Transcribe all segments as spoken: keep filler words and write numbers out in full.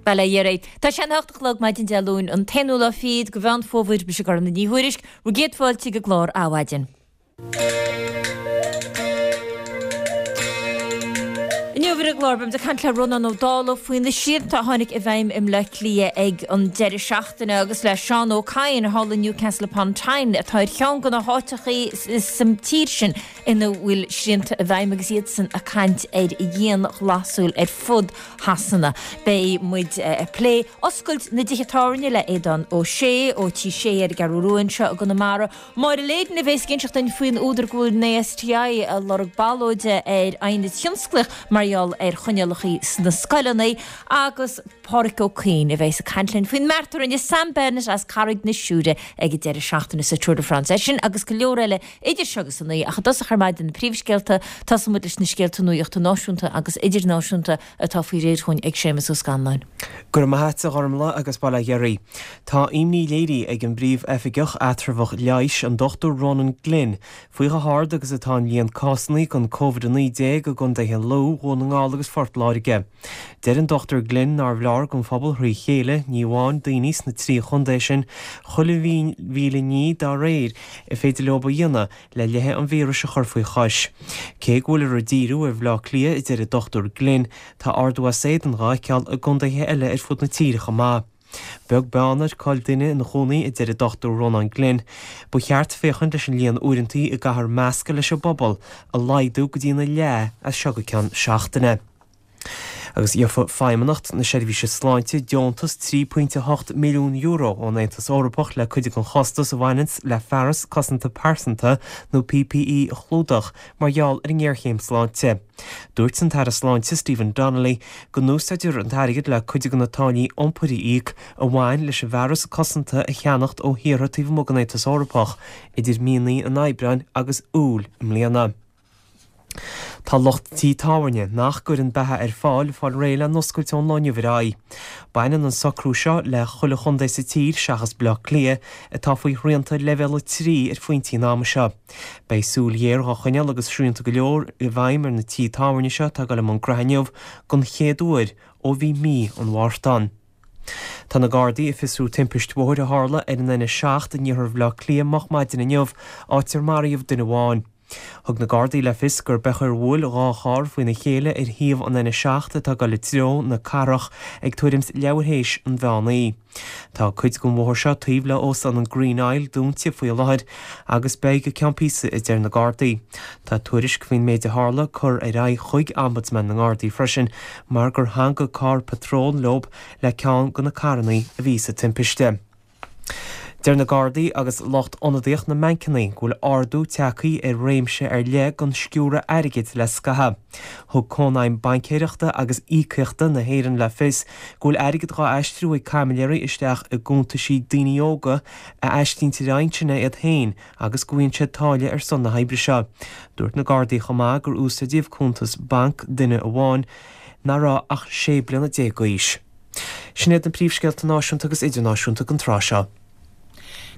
Bail ó Dhia oraibh. Tá sé an hocht a chlog maidin Dé Luain, an t-aonú lá fichead de Mheán Fómhair, mise Gormfhlaith Ní Thuairisg, bhur gcéad fáilte ag an gclár Adhmhaidin. Inniu ar an gclár, beimid ag caint le Rónán Ó Dálaigh faoi na srianta a tháinig i bhfeidhm i mBleá Cliath ag an deireadh seachtaine agus le Seán Ó Cadhain thall i Newcastle upon Tyne atá ar cheann de na háiteachaí sa tír sin ina bhfuil srianta i bhfeidhm agus iadsan ag caint ar dhianghlasáil ar fud Shasana. Beidh muid ag plé oscailt na dtithe tábhairne le Aodán Ó Sé ó Tí Sé ar an gCeathrú Rua anseo i gConamara. Máire Leyden a bheas ag inseacht dúinn faoin údar go bhfuil an ASTI ag lorg ballóide ar aighneas thionsclaíoch mar gheall ar choinníollacha sna scoileanna agus Pádhraic Ó Cuinn a bheas ag caint linn faoin mbeart a rinne Sam Bennett as Carraig na Siúire ag an deireadh seachtaine sa Tour de France. É sin agus go leor eile idir seo agus a naoi ach i dtosach ar maidin na príomhscéalta, tosóidh muid leis na scéalta nuachta náisiúnta agus idirnáisiúnta atá faoi réir chugainn ag Séamus Ó Scanláin. Go raibh maith a't a Ghormfhlaith agus bail ó Dhia oraibh. Tá imní léirithe ag an bPríomh-Oifigeach Eatramhach Leighis, an Dochtúir Ronan Glynn, faoi chomh hard agus atá an líon cásanna den Covid a naoi déag i gcontaetha Lú, Dhún na nGall agus Phort Láirge. Deir an Dochtúir Glynn nárbh leor don phobal thrí chéile, ní amháin daoine sna trí chontae sin, chuile mhíle ní dá réir a féidir leo a dhéanamh le leathadh an víris a chur faoi chois. Cé go bhfuiltear ag díriú ar Bhaile Átha Cliath, a deir an Dochtúir Glynn, tá ardú as éadan dhá fheiceáil i gcontaetha eile ar fud na tíre chomh maith. Beag beann ar cá'il duine ina chónaí, a deir an Dochtúir Rónán Glynn, ba cheart féachaint leis an líon uaireantaí a gcaithfear meascadh leis an bpobal a laghdú go dtína leath as seo go ceann seachtaine. Agus gheobhaidh Feidhmeannacht na Seirbhíse Sláinte deontas trí pointe a hocht milliún euro ón Aontas Eorpach le cuid den chostas a bhaineanns le fearas cosanta pearsanta nó P P E a chlúdach mar gheall ar an ngéarchéim sláinte. Dúirt an tAire Sláinte Stephen Donnelly go n-úsáidfear an t-airgead le cuid de na táillí iompair a íoc a bhain leis an bhfearas cosanta a cheannacht ó thíortha taobh amuigh den Aontas Eorpach idir míonna an Aibreáin agus Iúil i mbliana. Tá lucht tí tábhairne nach gcuireann beatha ar fáil ag fáil réidh le n-oscailt ón lá inniu ar aghaidh. Baineann an socrú seo le chuile chontae sa tír seachas Baile Átha Cliath atá faoi shrianta leibhéal a trí ar phointí an ama seo. Beidh súil ghéar dhá choinneáil agus srianta go leor i bhfeidhm ar na tí tábhairne seo atá ag dul i mbun graithe inniu don chéad uair ó bhí mí an Mhárta ann. Tá na Gardaí ag fiosrú timpist bhóthair a tharla ar an N a seacht in iarthar Bhaile Átha Cliath moch maidin inniu, áit ar maraíodh duine amháin. Thug na Gardaí le fios gur b'é ar bhuail dhá charr faoina chéile ar thaobh an N a seacht atá ag dul i dtreo na cathrach ag tuairim 's leathuair théis an mheán oíche. Tá cuid den bhóthar seo taobh le Óstán an Green Isle dúnta faoi láthair agus beidh go ceann píosa, a deir na Gardaí. Tá tuairisc faoin méid a tharla curtha ar aghaidh chuig Ombudsman na nGardaí freisin mar gur theangaigh carr patróil leo le ceann de na carranna a bhí sa timpiste. Deir na Gardaí agus lucht ionadaíocht na mbancanna go bhfuil ardú tagtha ar réimse ar leith den sciúradh airgid le scaitheamh. Thug Cónaidhm Baincéireachta agus Íocaíochta na hÉireann le fios go bhfuil airgead dhá aistriú ag caimiléirí isteach i gcuntaisí daoine óga a aistríonn ar aghaidh ansin iad féin agus go bhfaigheann siad táille ar son na hoibre seo. Dúirt na Gardaí chomh maith gur úsáideadh cuntas bainc duine amháin nach raibh ach sé bliana déag d'aois. Sin iad na príomhscéalta náisiúnta agus idirnáisiúnta don tráth seo.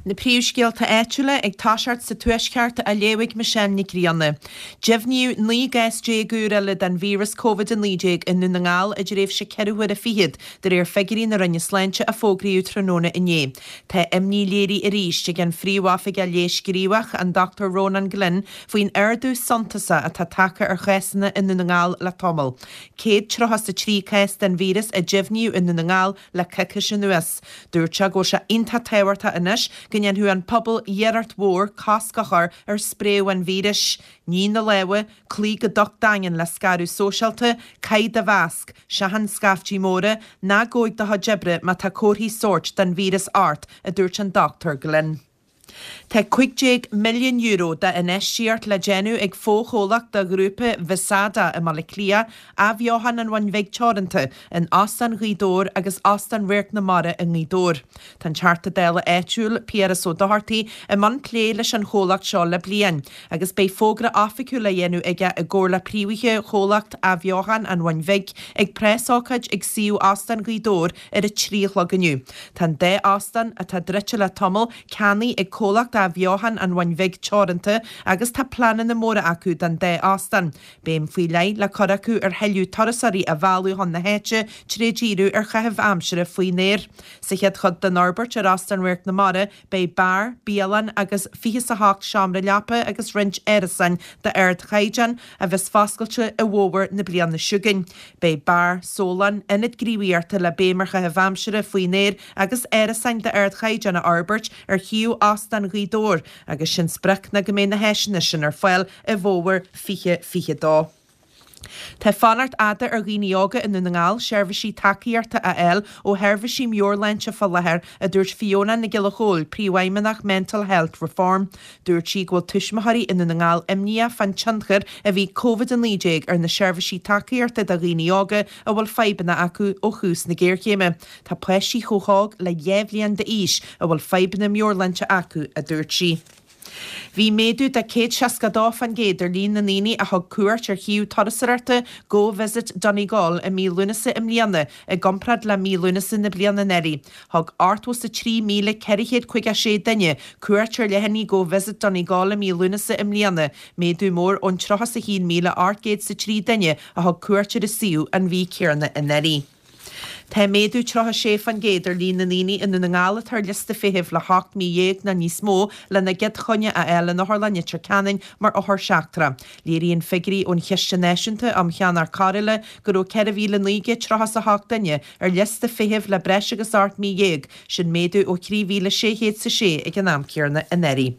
Na príomhscéalta áitiúla ag toiseacht sa Tuaisceart á léamh ag Michelle Nic Grianna. Deimhníodh naoi gcás déag úr eile den víreas Covid a naoi déag i nDún na nGall i dtréimhse ceithre huaire fichead, de réir figiúirí na Roinne Sláinte a fógraíodh tráthnóna inné. Tá imní léirithe arís ag an Phríomhoifigeach Leighis Gníomhach, an Dochtúir Rónán Glynn, faoin ardú suntasach atá tagtha ar chásanna i nDún na nGall le tamall. Céad tríocha is a trí cás den víreas a deimhníodh i nDún na nGall le coicís anuas. Dúirt sé go bhfuil sé iontach tábhachtach anois go ndéanfadh an pobal iarracht mhór cosc a chur ar spréadh an víris. Nigh na lámha, cloígh go docht daingean le scaradh sóisialta, caith do mhasc, seachain scaiftí móra, ná gabh chuig do chuid oibre má tá comharthaí sóirt den víreas ort, a dúirt an Dochtúir Glynn. Tá cúig déag milliún euro d'infheistíocht le déanamh ag fochomhlacht de ghrúpa Visada i mBaile Átha Cliath, Athbheochan an Bhun Bhig Teoranta, in Óstán Ghaoth Dobhair agus Óstán Radharc na Mara i nGaoth Dobhair. Tá an Teachta Dála áitiúil, Piaras Ó Dochartaigh, i mbun plé leis an chomhlacht seo le bliain agus beidh fógra oifigiúil á dhéanamh aige i gcomhar le príomhaithe chomhlacht Athbheochan an Bhun Bhig ag preasócáid ag suíomh Óstán Ghaoth Dobhair ar a trí a chlog inniu. Tá an dá óstán, atá druidte le tamall, ceannaithe ag comhlacht athbheochan an Bhun Bhig Teoranta agus tá pleananna móra acu don dá óstán. Béim faoi leith le cur acu ar thuilleadh turasóirí a mhealladh chun na háite tré dhíriú ar chaitheamh aimsire faoin aer. Sa chéad chuid den fhorbairt ar Óstán Radharc na Mara beidh beár, bialann agus fiche is a hocht seomra leapa agus roinnt árasáin d'ardchaighdeán a bheas foscailte i bhfómhar na bliana seo chugainn. Beidh beár, sólann, ionad gníomhaíochta le béim ar chaitheamh aimsire faoin aer agus árasáin d'ardchaighdeán a fhorbairt ar shuíomh Óstán Ghaoth Dobhair agus sin sprioc ná go mbeidh na háiseanna sin ar fáil i bhfómhar fiche fiche dó. Tá fanacht fhada ar dhaoine óga i nDún na nGall seirbhísí tacaíochta a fháil ó sheirbhísí meabhairshláinte fá láthair, a dúirt Fiona Nic Giolla Chóill, Príomhfheidhmeannach Mental Health Reform. Dúirt sí go bhfuil tuismitheoirí i nDún na nGall imníoch fán tionchar a bhí Covid a naoi déag ar na seirbhísí tacaíochta do dhaoine óga a bhfuil fadhbanna acu ó thús na géarchéime. Tá páistí chomh hóg le dhá bhliain d'aois a bhfuil fadhbanna meabhairshláinte acu, a dúirt sí. Bhí méadú de céad seasca dó faoin gcéad ar líon na ndaoine a thug cuairt ar shuíomh turasóireachta Go Visit Donegal i mí Lúnasa i mbliana i gcomparáid le mí Lúnasa na bliana anuraidh. Thug ochtó is a trí míle ceithre chéad caoga sé duine cuairt ar leathanaigh Go Visit Donegal i mí Lúnasa i mbliana, méadú mór ón tríocha is a haon míle ocht gcéad is a trí duine a thug cuairt ar an suíomh an mhí chéanna anuraidh. Tá méadú tríocha sé faoin gcéad ar líon na ndaoine i nDún na nGall atá ar liosta feithimh le hocht mí dhéag nó níos mó lena gcéad choinne a fháil in Otharlann Leitir Ceanainn mar othar seachtrach. Léiríonn figiúirí ón Chiste Náisiúnta um Cheannach Cóireála go raibh ceithre mhíle naoi gcéad tríocha is a hocht duine ar liosta feithimh le breis agus ocht mí dhéag, sin méadú ó thrí mhíle sé chéad is a sé ag an am céanna anuraidh.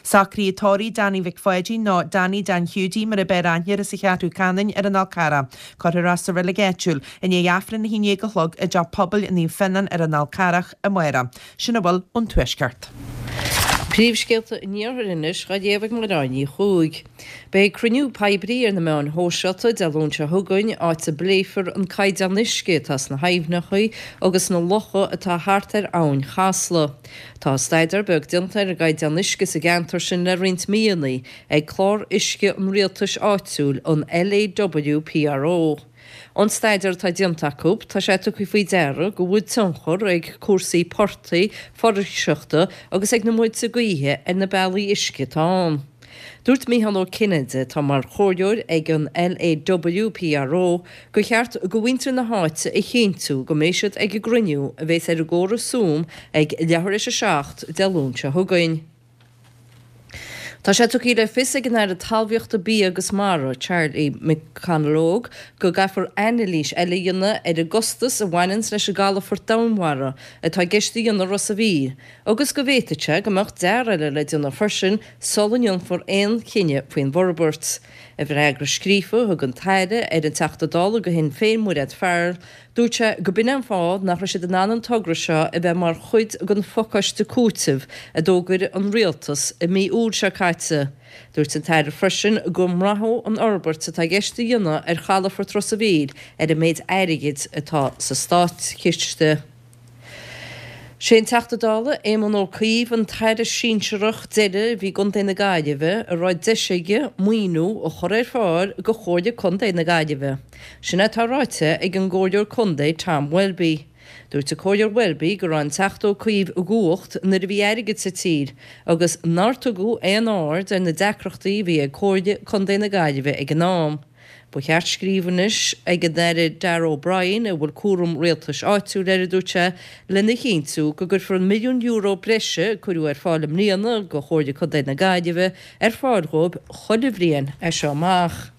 Socruithe tórraimh Danny Mhic Pháidín nó Danny Dan Hiúdaí mar ab fhearr aithne air as an Cheathrú Ceanainn ar an Fhál Carrach. Cuirfear é sa reilig áitiúil i ndiaidh Aifreann a haon déag a chlog i dTeach Pobail Naomh Fionnán ar an Fhál Carrach amárach. Sin a bhfuil ón Tuaisceart. Príomhscéalta an Iarthair anois á léamh ag Máire Ní Chuaig. Beidh cruinniú poiblí ar na meáin shóisialta Dé Luain seo chugainn, áit a bpléifear an caighdeán uisce atá sna haibhneacha agus sna locha atá thart ar Abhainn Chasla. Tá staidéar beag déanta ar an gcaighdeán uisce sa gceantar sin le roinnt míonna ag Clár Uisce an Rialtais Áitiúil, an LAWPRO. Ón staidéar atá déanta acu, tá sé tugtha faoi deara go bhfuil tionchar ag cúrsaí portaigh, foraoiseachta agus ag na muilte gaoithe ar na bealaí uisce atá ann. Dúirt Mícheál Ó Cinnéide, atá mar chomhairleoir ag an LAWPRO, gur cheart do mhuintir na háite a chinntiú go mbeidh siad ag an gcruinniú a bheas ar an gcóras Zoom ag leathuair théis a seacht Dé Luain seo chugainn. Tá sé tugtha le fios ag an Aire Talmhaíochta, Bia agus Mara, Charlie McConalogue, go gcaithfear anailís eile a dhéanamh ar an gcostas a bhaineanns leis an gcalafort domhainmhara atá i gceist a dhéanamh i Ros a' Mhíl agus go bhféadfadh sé go mbeadh dearadh eile le déanamh freisin sula ndéanfar aon chinneadh faoin bhforbairt. I bhfreagra scríofa a thug an tAire ar an Teachta Dála do Shinn Féin, Mairéad Farrell, dúirt sé go b'in é an fáth nach raibh siad in ann an togra seo a bheith mar chuid den phacáiste cúitimh a d'fhógair an Rialtas i mí Iúil seo caite. Dúirt an tAire freisin go mbraithfeadh an fhorbairt atá i gceist a dhéanamh ar chalafort Ros a' Mhíl ar an méid airgid atá sa státchiste. Sé an Teachta Dála Éamon Ó Cuív an tAire sinsearach deiridh a bhí i gContae na Gaillimhe a raibh deis aige maoiniú a chur ar fáil do Chomhairle Contae na Gaillimhe. Sin é atá ráite ag an gComhairleoir Contae Tom Welby. Dúirt an Comhairleoir Welby go raibh an Teachta Ó Cuív i gcumhacht nuair a bhí airgead sa tír agus nár tugadh aon aird ar na deacrachtaí a bhí ag Comhairle Contae na Gaillimhe ag an am. Ba cheart scríobh anois ag an Aire Darragh O'Brien, a bhfuil cúram rialtais áitiúil air, a dúirt sé, lena chinntiú go gcuirfear an milliún euro breise a cuireadh ar fáil i mbliana do Chomhairle Contae na Gaillimhe ar fáil dhóibh chuile bhliain as seo amach.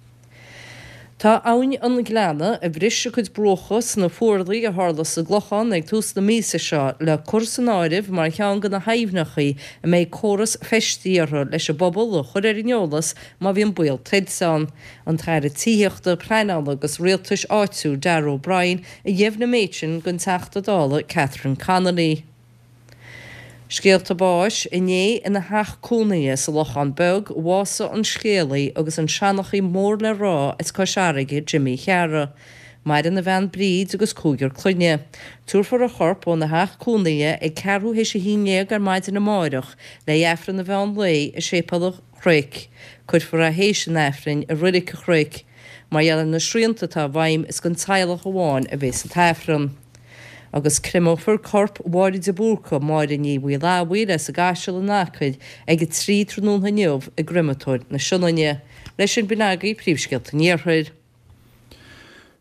Tá Abhainn an Ghleanna, a bhris a cuid bruacha sna fuarlaigh a tharla sa gClochán ag tús na míosa seo, le cur san áireamh mar cheann de na haibhneacha a mbeidh córas feistithe orthu leis an bpobal a chur ar an eolas má bhíonn baol tuilte ann. An tAire Tithíochta, Pleanála agus Rialtais Áitiúil, Darragh O'Brien, a dheimhnigh an méid sin don Teachta Dála Catherine Connolly. Scéalta báis, Inné ina theach cónaithe sa Lochán Beag, bhásaigh an scéalaí agus an seanchaí mór le rá as Cois Fharraige, Jimmy Chearra. Maireann a bhean Bríd agus cúigear clainne. Tabharfar a chorp óna theach cónaithe ag ceathrú théis a haon déag ar maidin amáireach le hAifreann an mheán lae i Séipéal an Chnoic. Cuirfear é théis an Aifrinn i Reilig an Chnoic. Mar gheall ar na srianta atá i bhfeidhm is don teaghlach amháin a bheas an t-Aifreann. Agus créamófar corp Mháire de Búrca, Máire Ní Mhaoileabhair as an gCaiseal in Acaill ag a trí tráthnóna inniu i gCreamatóir na Sionainne. Leis sin b'in agaibh príomhscéalta an Iarthair.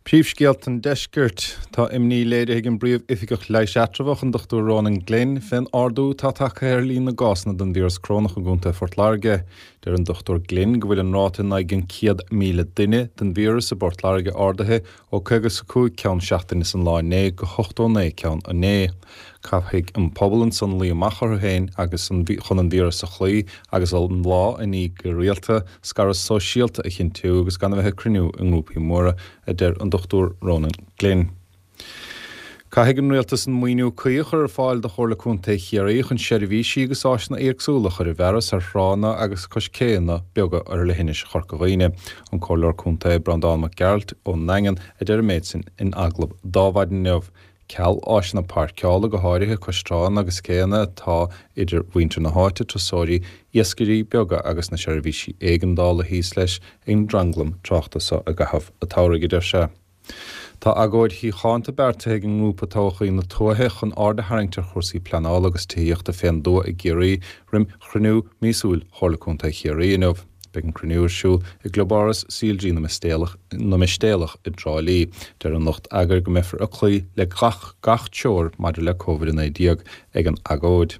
Príomhscéalta an Deiscirt. Tá imní léirithe ag an bPríomh-Oifigeach Leighis Eatramhach, an Dochtúir Ronan Glynn, fén ardú atá tagtha ar líon na gcásanna den víreas corónach i gContae Phort Láirge. Deir an Dochtúir Glynn go bhfuil an ráta in aghaidh an céad míle duine den víreas i bPort Láirge ardaithe ó caoga is a cúig ceann seachtaine is an lá inné go hochtó naoi ceann inné. Caithfidh an pobal ansan luí amach orthu féin agus an chun an víreas a chloí agus an lámh a ní go rialta, scaradh sóisialta a chinntiú agus gan a bheith ag cruinniú i ngrúpaí móra, a deir an Dochtúir Ronan Glynn. Caithfidh an rialtas an maoiniú cuí a chur ar fáil do Chomhairle Contae Chiarraí chun seirbhísí agus áiseanna éagsúla a chur i bhfearas ar thránna agus cois céanna beaga ar leithinis Chorca Dhuibhne. An Comhairleoir Contae Breandán Mac Gearailt ón nDaingean a deir an méid sin in agallamh d'Adhmhaidin inniu. Ceal áiseanna páirceála, go háirithe cois tránna agus céanna atá idir mhuintir na háite, turasóirí, iascairí beaga agus na seirbhísí éigeandála thíos leis an dtranglam tráchta seo i gcaitheamh an tsamhraidh, a deir sé. Tá agóid shíochánta beartaithe ag an ngrúpa Todhchaí na Tuaithe chun aird a tharraingt ar chúrsaí pleanála agus tithíochta fén dtuath i gCiarraí roim chruinniú míosúil Chomhairle Contae Chiarraí inniu. Beidh an cruinniú ar siúl i gClubáras C L G na Mistéalach i dTrá Lí. Deir an lucht eagair go mbeifear ag cloí le gach gach treoir maidir le Covid a naoi déag ag an agóid.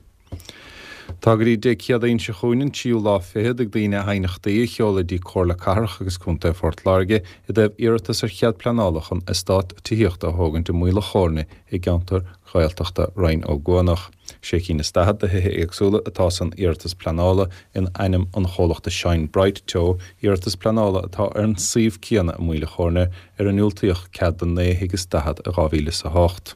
Tá go dtí Dé Céadaoin seo chugainn, an tríú lá fichead, ag daoine aighneachtaí a sheoladh dtí Comhairle Cathrach agus Contae Phort Láirge i dtaobh iarratas ar chead pleanála chun eastát tithíochta a thógaint i Maoil a' Chóirne i gceantar Ghaeltachta Rinn Ó gCuanach. Sé cinn is daichead de thithe éagsúla atá san iarratas pleanála in ainm an chomhlachta Shine Bright Teo, iarratas pleanála atá ar an suíomh céanna i Maoil a' Chóirne ar a ndiúltaíodh cead do naoi thigh is daichead i dhá mhíle is a hocht.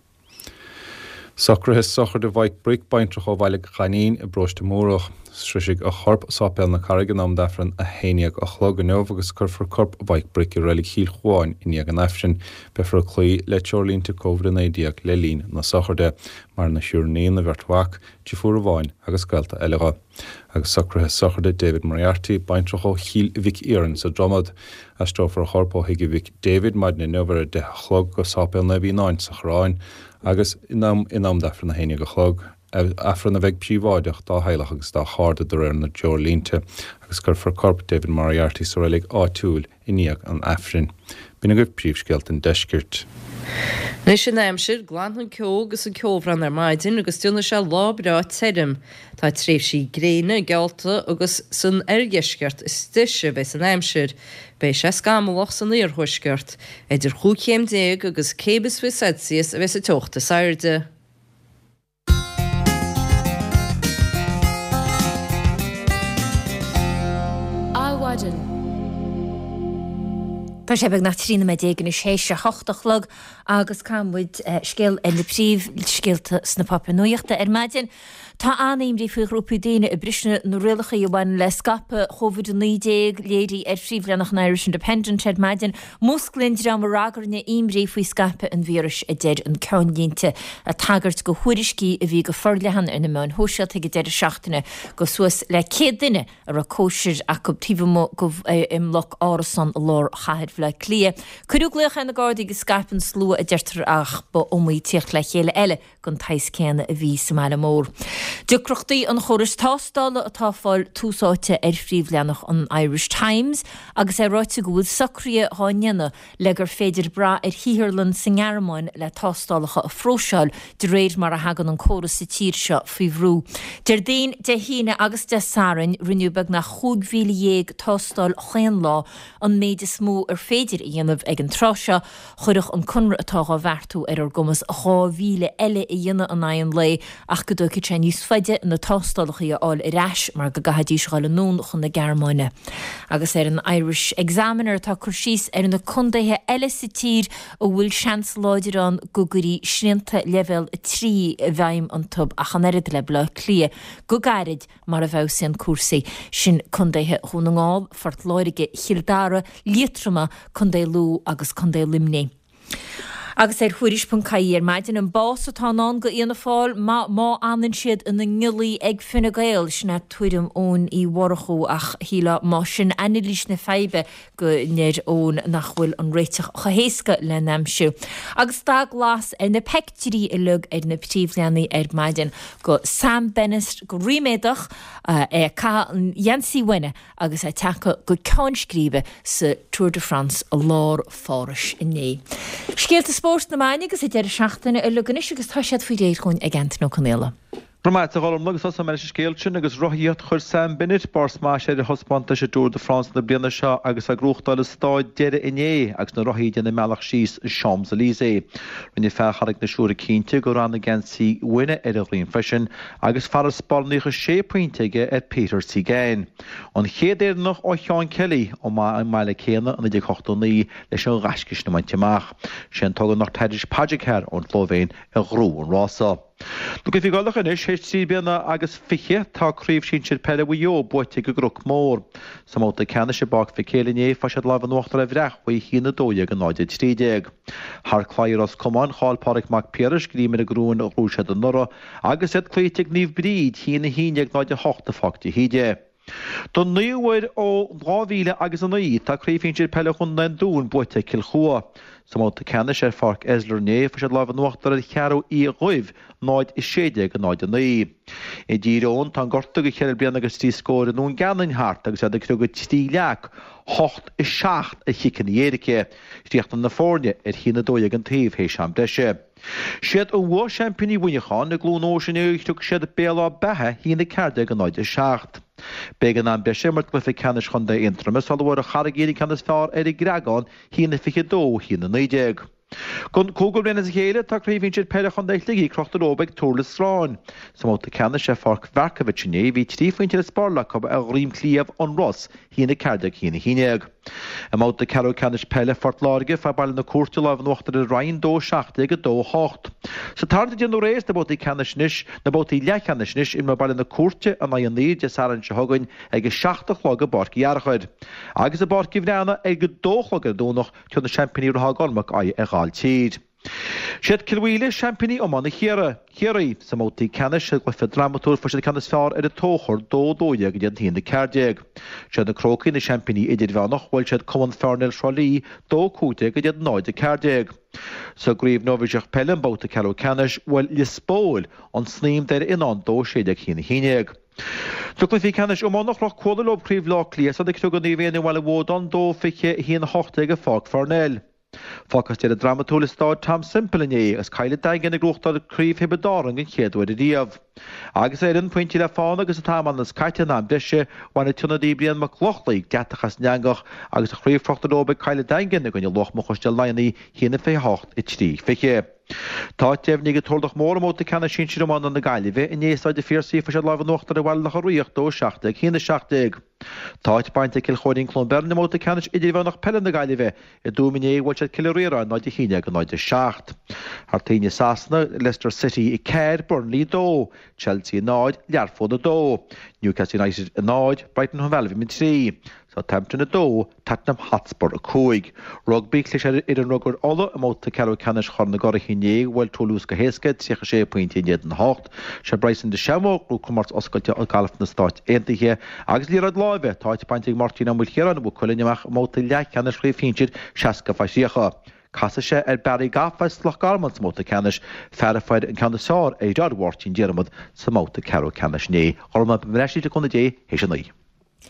Socruithe sochraide Mhaidhc Bric, baintreach ó Bhaile Ghainín i bParóiste Múrach. Sroisfidh a chorp Sáipéal na Carraige in am d'Aifreann a haon déag a chlog inniu agus cuirfear corp Mhaidhc Bric i Reilig Chill Chuáin i ndiaidh an Aifrinn. Beifear ag cloí le treoirlínte Covid a naoi déag le linn na sochraide. Maireann a thriúr iníon, a bheirt mhac, deirfiúr amháin agus gaolta eile dho. Agus socruithe sochraide David Moriarty, baintreach ó Chill Mhic Iarainn sa Dromad. Aistreofar a chorp ó thigh a mhic David maidin inniu ar a deich a chlog go Sáipéal Naomh Fhíonáin sa Choireán agus in am in am d'Aifreann a haon déag a chlog, Aifreann a bheidh príobháideach dá theaghlach agus dá chairde de réir na dtreoirlínte, agus cuirfear corp David Moriarty sa reilig áitiúil i ndiaidh an Aifrinn. B'in agaibh príomhscéalta an deiscirt. Anois an aimsir, glanfaidh an ceo agus an ceobhrán ar maidin agus déanfaidh sé lá breá tirim. Tá tréimhsí gréine geallta agus san oirdheisceart is deise a bheas an aimsir. Beidh sé scamallach san iarthuaisceart. Idir chúig chéim déag agus céim is fiche Celsius a bheas an teocht is airde. Adhmhaidin. Tá sé beagnach trí nóiméad déag anois théis a hocht a chlog agus caithfidh muid scéal ar na príomhscéalta sna páipéir nuachta ar maidin. Tá an-imní faoi ghrúpaí daoine ag briseadh na rialacha a bhaineann le scaipeadh Covid a naoi déag, léirithe ar phríomhleathanach an Irish Independent ar maidin. Músclaíonn dream a ragairne imní faoi scaipeadh an víris, a deir an ceannlínte, ag tagairt go thuairiscí a bhí go forleathan ar na meáin shóisialta ag an deireadh seachtaine go suas le céad duine a raibh cóisir acu taobh amuigh go i mbloc árasán i lár chathair Bhaile Átha Cliath. Cuireadh glaoch ar na Gardaí go scaip an slua, a deirtear, ach ba iomaí tíocht le chéile eile den tsaghas céanna a bhí sa mbaile mór. Deacrachtaí an chórais tástála atá ag fáil tús áite ar phríomhleathanach an Irish Times agus é ráite go bhfuil socruithe dhá ndéanamh le gur féidir brath ar shaotharlann sa nGearmáin le tástálacha a phróiseáil de réir mar a thagann an córas sa tír seo faoi bhrú. Déardaoin, Dé hAoine agus Dé Sathairn rinneadh beagnach chúig mhíle dhéag tástáil chaon lá, an méid is mó ar féidir a dhéanamh ag an tráth seo. Chuirfeadh an conradh atá dhá bheartú ar ár gcumas dhá mhíle eile a dhéanamh in aghaidh an lae ach go dtógfaidh sé níos faide na tástálacha a fháil ar ais mar go gcaithfidís dhul anonn chun na Gearmáine. Agus ar an Irish Examiner tá cur síos ar na contaetha eile sa tír a bhfuil seans láidir ann go gcuirfí srianta leibhéal a trí i bhfeidhm iontu ach an oiread le Baile Átha Cliath go gairid mar a bhfeabhsaíonn cúrsaí. Sin contaetha Dhún na nGall, Phort Láirge, Chill Dara, Liatroma, Contae Lú agus Contae Luimnigh. Agus ar Thuairisc ponc ie ar maidin, an bás atá i ndán go Fhianna Fáil má fhanann siad ina ngiollaí ag Fine Gael, sin é tuairim Eoin Uí Mhurchú ach shílfeá más sin anailís na faidhbe go ndeir Eoin nach bhfuil an réiteach chomh héasca lena aimsiú. Agus dath glas ar na peictiúirí uilig ar na príomhleathanaigh ar maidin go Sam Bennett go ríméadach é ag caitheamh an gheansaí bhain agus é tagtha go ceann scríbe sa Tour de France i lár Phárais inné. Scéalta spóirt na meáin agus an deireadh seachtaine uilig anois agus tá siad faoi réir dhúinn ag Antaine Ó Conaola. Go raibh maith agat a Ghormlaith agus tosóidh mé leis an scéal sin agus rothaíocht chuir Sam Bennett barr smais ar a thaispeántas i dTour de France na bliana seo agus á gnóthachtáil i staid deiridh inné agus na rothaí ag déanamh a mbealach síos Champs-Élysées. Rinne fear Charraig na Siúire cinnte go raibh na geansaí bhainne ar a dhroim freisin agus farasbarr naocha sé pointe aige ar Peter Sagan. An chéad Éireannach ó Sheán Kelly ón mbaile céanna i naoi déag ochtó naoi leis an ghaisce sin a bhaint amach. Sé an tUgánach Tadej Pogačar ón tSlóivéin a ghnóthaigh an rása. Na cluichí Gaelacha anois, théis trí bliana agus fiche, tá Craobh Shinsir Peile Mhaigh Eo buaite ag an gCnoc Mór. Sa mbabhta ceannais i bPáirc Mhic Éil inné, fuair siad lámh in uachtar ar Bhreac-Mhaigh a haon a dó dhéag a náid a trí déag. Thar claí i Ros Comáin, chaill Pádraig Mac Piarais greim ar an gcorn a ghnóthaigh siad anuraidh agus iad cloíte ag Naomh Bríd, a haon a haon déag náid a hocht i Pháirc de hÍde. Don naoú huair ó dhá mhíle agus a naoi, tá Craobh Shinsir Peile Chontae an Dúin buaite ag Cill Chua. Sa mbabhta ceannais ar Pháirc Esler inné, fuair siad lámh in uachtar ar Cheathrú Uí Dhuibh, náid a sé déag a náid a naoi. I dTír Eoghain, tá an gortú do cheithre bliana agus trí scór i nDún Geanainn thart agus iad ag criogadh trí leac, hocht a seacht ar chiceanna éirice. Chríochnaigh na foirne ar a haon a dó dhéag an taobh théis am breise. Siad an Mhumha seaimpíní Mhuineacháin i gCluain Eois inniu chrioc siad Béal Átha Beatha a haon a ceathair déag a náid a seacht. B'éigean am breise a imirt i gcluiche ceannais Chontae Aontroma sula bhfuair an Charraig Fhinn an ceann is fearr ar an gCreagán a haon a fiche dó a haon a naoi déag. Don cúigiú bliain as a chéile tá Craobh Shinsir Peile Chontae Shligigh crochta leo ag Thurles Sráin. Sa mbabhta ceannais ar Pháirc Mharkievicz inné bhí trí phointe le spáráil acu ar Dhroim Chliabh An Ros a haon a ceathair déag a haon a haon déag. I mbabhta ceathrú ceannais peile Phort Láirge fuair Baile na Cúirte lámh in uachtar ar an Rinn dó a seacht déag a dó a hocht. Sa tarraingt a déanadh aréir sna babhtaí ceannais anois, na babhtaí leathcheannais anois, imreoidh Baile na Cúirte in aghaidh an Iúir Dé Sathairn seo chugainn ag a seacht a chlog i bPáirc Uí Fhearchair. Agus i bPáirc Uí Bhraonáin ag a dó a chlog ar an Domhnach, tabharfaidh na seaimpíní Ráth Gormac aghaidh ar Ghailltír. Siad Cill Mhaoile seaimpíní iomána Chiarraí. Sa mbabhtaí ceannais i gcluiche drámatúil fuair siad an ceann is fearr ar an Tóchar, dó a dó dhéag in éadan a haon a ceathair déag. Siad na Crócaigh na seaimpíní idirmheánach, bhuail siad Cumann Phearnail Thrá Lí, dó a cúig déag in éadan náid a ceathair déag. Sa gCraobh Nóibhíseach Peile i mbabhta ceathrú ceannais, bhuail Lios Póil, an Snaidhm Doire Fhionáin, dó a sé déag a haon a haon déag. Sna cluichí ceannais iomána, chroch Cuala leo Craobh Bhaile Átha Cliath sular criogadh Naomh Éanna Bhaile Bhuadáin, dó fiche a haon a hocht déag i Pháirc Pharnell. Facthas deireadh drámatúil i Stáid Tom Semple inné agus Cill an Daingin ag gnóthachtáil Craobh Thiobraid Árann den chéad uair ariamh. Agus ar an pointe le fána agus an t-am ionas caite in am breise, bhain an t-ionadaí Brian Mac Lochlainn deatach as an eangach agus an chraobh crochta leo ag Cill an Daingin i gcoinne Luachma-Chuisdeal Laigheanaigh a haon a fiche a hocht a trí fiche. Tá áit deimhnithe ag an Turlach Mór i mbabhta ceannais sinsir iomána na Gaillimhe inné i Staid an Phiarsaigh fuair siad lámh in uachtar ar Bhaile Locha Riach dó a seacht déag a haon a seacht déag. Tá áit bainte ag Cill Chóirín Cluain Bheirn i mbabhta ceannais idirmheánach peile na Gaillimhe i dTuaim inné bhuail siad Cill Ríoráin náid a haon déag a náid a seacht. Thar toinn i Sasana, Leicester City a ceathair, Burnley a dó, Chelsea a náid, Learpholl a dó, Newcastle United a náid, Brighton Hove Albion a trí. Southampton a dó, Tottenham Hotspur a cúig. Rugbaí, Chlis ar fhoireann rugair Uladh i mbabhta ceathrú ceannais Chorn na gCuradh inné, bhuail Toulouse go héasca, tríocha sé pointe in éadan a hocht. Sé Bryson DeChambeau a ghnóthaigh comórtas oscailte gailf na Stáit Aontaithe. Agus liathróid láimhe, tá áit bainte ag Máirtín Ó Maoilchiaráin ó Mhaigh Cuilinn amach i mbabhta leathcheannais Chraobh Shinsir seasca fá thríocha. Casfaidh sé ar Barry Goff as Loch Garman sa mbabhta ceannais, fear a fuair an ceann is fearr ar dheartháir Mháirtín Diarmuid sa mbabhta ceathrú ceannais inné. Gorma, beidh mé ar ais le cúnamh Dé théis a naoi.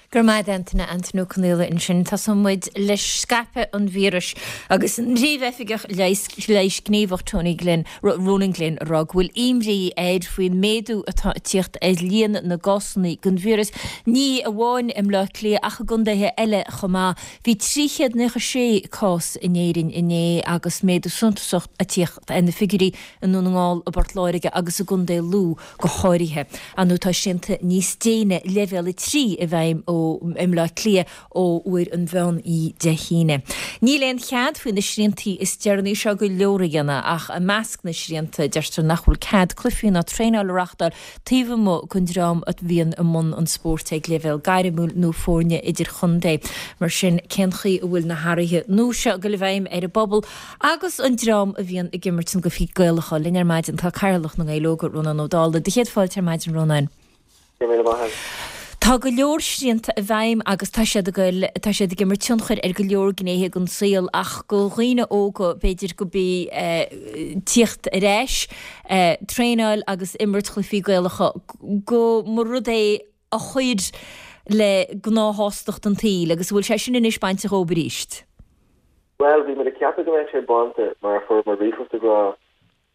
Go raibh maith agat Antaine, Antaine Ó Conaola ansin. Tosóidh muid le scaipeadh an víris agus an Príomhoifigeach Leighis Gníomhach Tony Glynn, Ronan Glynn ag rá go bhfuil imní air faoin méadú atá ag tíocht ar líon na gcásanna den víreas, ní amháin i mBleá Cliath ach i gcontaetha eile chomh maith. Bhí trí chéad naocha sé cás in Éirinn inné agus méadú suntasach ag tíocht ar na figiúirí i nDún na nGall, i bPort Láirge agus i gContae Lú go háirithe. Ar ndóigh tá srianta níos déine, leibhéal a trí, i bhfeidhm ó ó i mBleá Cliath ó uair an mheán oíche Dé hAoine. Níl aon chead faoi na sriantaí is deireanaí seo go leor a dhéanamh ach i measc na srianta deirtear nach bhfuil cead cluichí ná traenáil a reáchtáil taobh amuigh den dream a bhíonn i mbun an spóirt ag leibhéal gairmiúil nó foirne idirchontae. Mar sin cén chaoi a bhfuil na hathruithe nua seo ag dul i bhfeidhm ar an bpobal agus an dream a bhíonn ag imirt na gcluichí Gaelacha. Linn ar maidin tá Cathaoirleach na nGael Óg, Rónán Ó Dálaigh. Do chéad fáilte ar maidin Rónán. Tá go leor srianta i bhfeidhm agus tá siad ag goil tá siad ag imirt tionchair ar go leor gnéithe den saol ach go dhaoine óga b'fhéidir go bí tíocht ar ais, traenáil agus imirt chluichí Gaelacha go mba rud é a chuir le gnáthshástacht an tsaoil agus bhfuil sé sin anois bainte dhóibh arís. Bhuel, bhí muid ag ceapadh go mbeadh sé bainte mar a fuair muid ríomhphost ag rá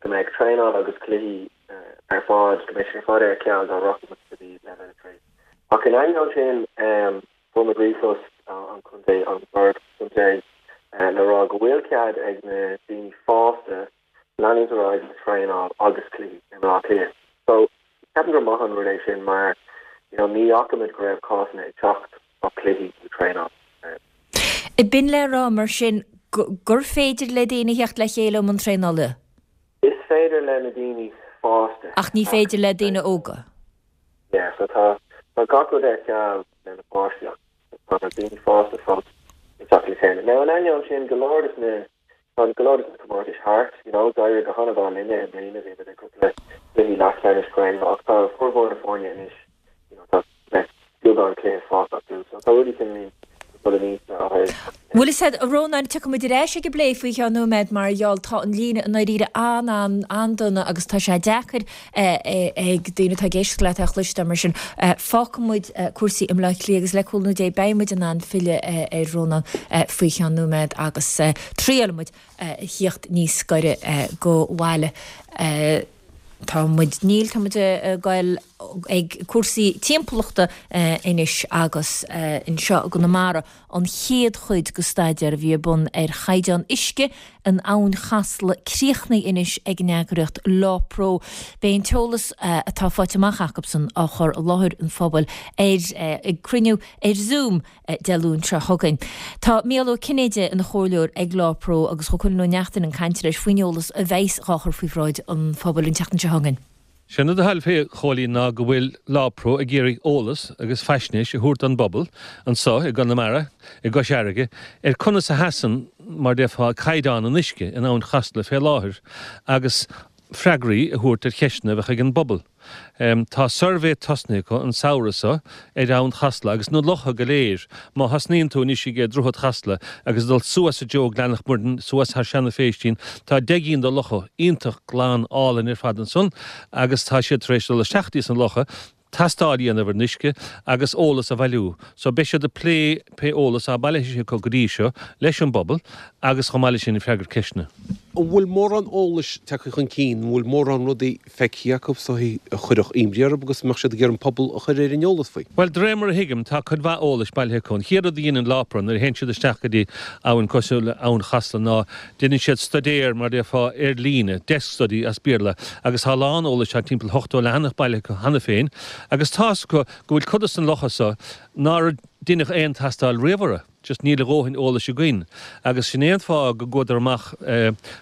go mbeadh traenáil agus cluichí ar fad, go mbeidh sé ar fad ar ceal dá rachaidh muid go dtí leibhéal a trí. Ach in ainneoin sin, fuair muid ríomhphost ón chontae, ón bhord contae le rá go bhfuil cead ag na daoine fásta leanúint ar aghaidh le traenáil agus cluichí i mBleá Cliath. So, ceapaim gur maith an rud é sin mar you know, ní fhaca muid go raibh cásanna ag teacht ó chluichí nó traenáil. B'in le rá mar sin gur féidir le daoine theacht le chéile um an traenála? Is féidir le na daoine fásta. Ach ní féidir le daoine óga? Yeah, so tá tá gach rud ar ceal le na páistí ach tá na daoine fásta fós ag teacht le chéile. Now in ainneoin sin go leor des na tá go leor des na comórtais thart, you know, d'éirigh go han-mhaith linne i mbliana, bhí muid ag cúpla cluichí leathcheannais craoibhe ach tá formhór na foirne anois, you know, tá beagán cluiche fágtha acu, so tá rudaí cineál ag dul aníos ó thaobh Bhfuil fhios a'd, a Rónáin, tiocfaidh muid ar ais ag an bplé faoi cheann nóiméad mar gheall tá an líne i ndáiríre an-an-an-dona agus tá sé deacair ag daoine atá ag éisteacht leat é a chloisteáil mar sin fágfaidh muid cúrsaí i mBleá Cliath agus le cúnamh Dé beidh muid in ann filleadh ar Rónán faoi cheann nóiméad agus triailfidh muid a thíocht níos gaire go bhaile. Tá muid, níl, tá muid ag goil ag cúrsaí timpeallachta anois agus anseo i gConamara an chéad chuid de staidéar a bhí ar bun ar chaighdeán uisce in Abhainn Chasla críochnaithe anois ag an eagraíocht LawPro. Beidh an t-eolas atá faighte amach acusan á chur i láthair an phobail ar ag cruinniú ar Zoom Dé Luain seo chugainn. Tá Mícheál Ó Cinnéide ina chomhairleoir ag LawPro agus chuaigh Cóilín Ó Neachtain ag caint leis faoin eolas a bheas á chur faoi bhráid an phobail an tseachtain seo chugainn. Sé an rud atá fé Chóilín ná go bhfuil LawPro ag iarraidh eolas agus faisnéis a thabhairt don bpobal anso i gConamara, i gCois Fharraige, ar conas a sheasann, mar déarfá, caighdeán an uisce in Abhainn Chasla fé láthair agus freagraí a thabhairt ar cheisteanna a bheadh ag an bpobal. Tá suirbhé tosnaithe acu an samhradh seo ar Abhainn Chasla agus na locha go léir. Má thosnaíonn tú anois ag Droichead Chasla agus ag dul suas i dtreo Gleann Mhuirinn, suas thar Seanadh Phéistín, tá deich gcinn de locha iontach glan álainn ar fad ansan agus tá siad tar éis dul isteach dtí sna locha, tastáil a dhéanamh ar an uisce agus eolas a bhailiú. So beidh siad ag plé pé eolas atá bailithe acu go dtí seo leis an bpobal agus chomh maith leis sin ag freagairt ceisteanna. An bhfuil mórán eolais tagtha chun cinn, an bhfuil mórán rudaí feicthe acu so a chuirfeadh imní orthu agus a mbeadh siad ag iarraidh an pobal a chur ar an eolas faoi? Bhuel, de réir mar a thuigim, tá cuid mhaith eolais bailithe acu. An chéad rud a dhéanann LawPro nuair a théann siad isteach go dtí abhainn cosúil le Abhainn Chasla ná déanann siad staidéar, mar a déarfá, ar líne, desk study as Béarla, agus tá a lán eolais, tá timpeall ochtó leathanach bailithe acu cheana féin agus tá's acu go bhfuil cuid de na locha so nár deineadh aon tastáil riamh orthu. Just níl a dhóthain eolais againn. Agus sin é an fáth go gcuadar amach,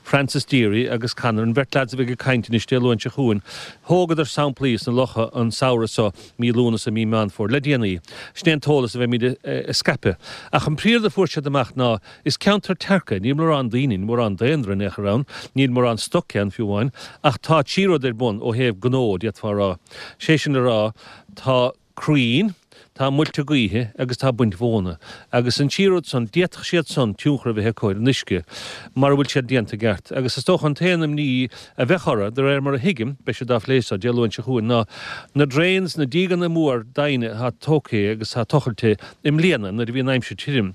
Francis Deary agus Conor, an bheirt leaids a bheidh ag caint anois Dé Luain seo chugainn, thógadar samplaí sna locha an samhradh so, mí Lúnasa, mí Meán Fómhair, le déanaí. Sin é an t-eolas a bheimid a scaipeadh. Ach an príomhrud a fuair siad amach ná, is ceantar tearc é, níl mórán daoine, níl mórán daonra in aon chor ann, níl mórán stoc ann fiú amháin, ach tá trí rud ar bun ó thaobh gnó, d'fhéadfá a rá. Sé sin le rá, tá crainn, tá muilte gaoithe agus tá baint mhóna. Agus an trí rud san, d'fhéadfadh siad san tionchar a bheith acu ar an uisce mara bhfuil siad déanta i gceart. Agus is dócha an t-aon imní a bheadh orthu, de réir mar a thuigim, beidh siad á phlé so Dé Luain seo chugainn, ná na drains, na dígeanna mór doimhne atá tógtha agus atá tochailte i mbliana nuair a bhí an aimsir tirim.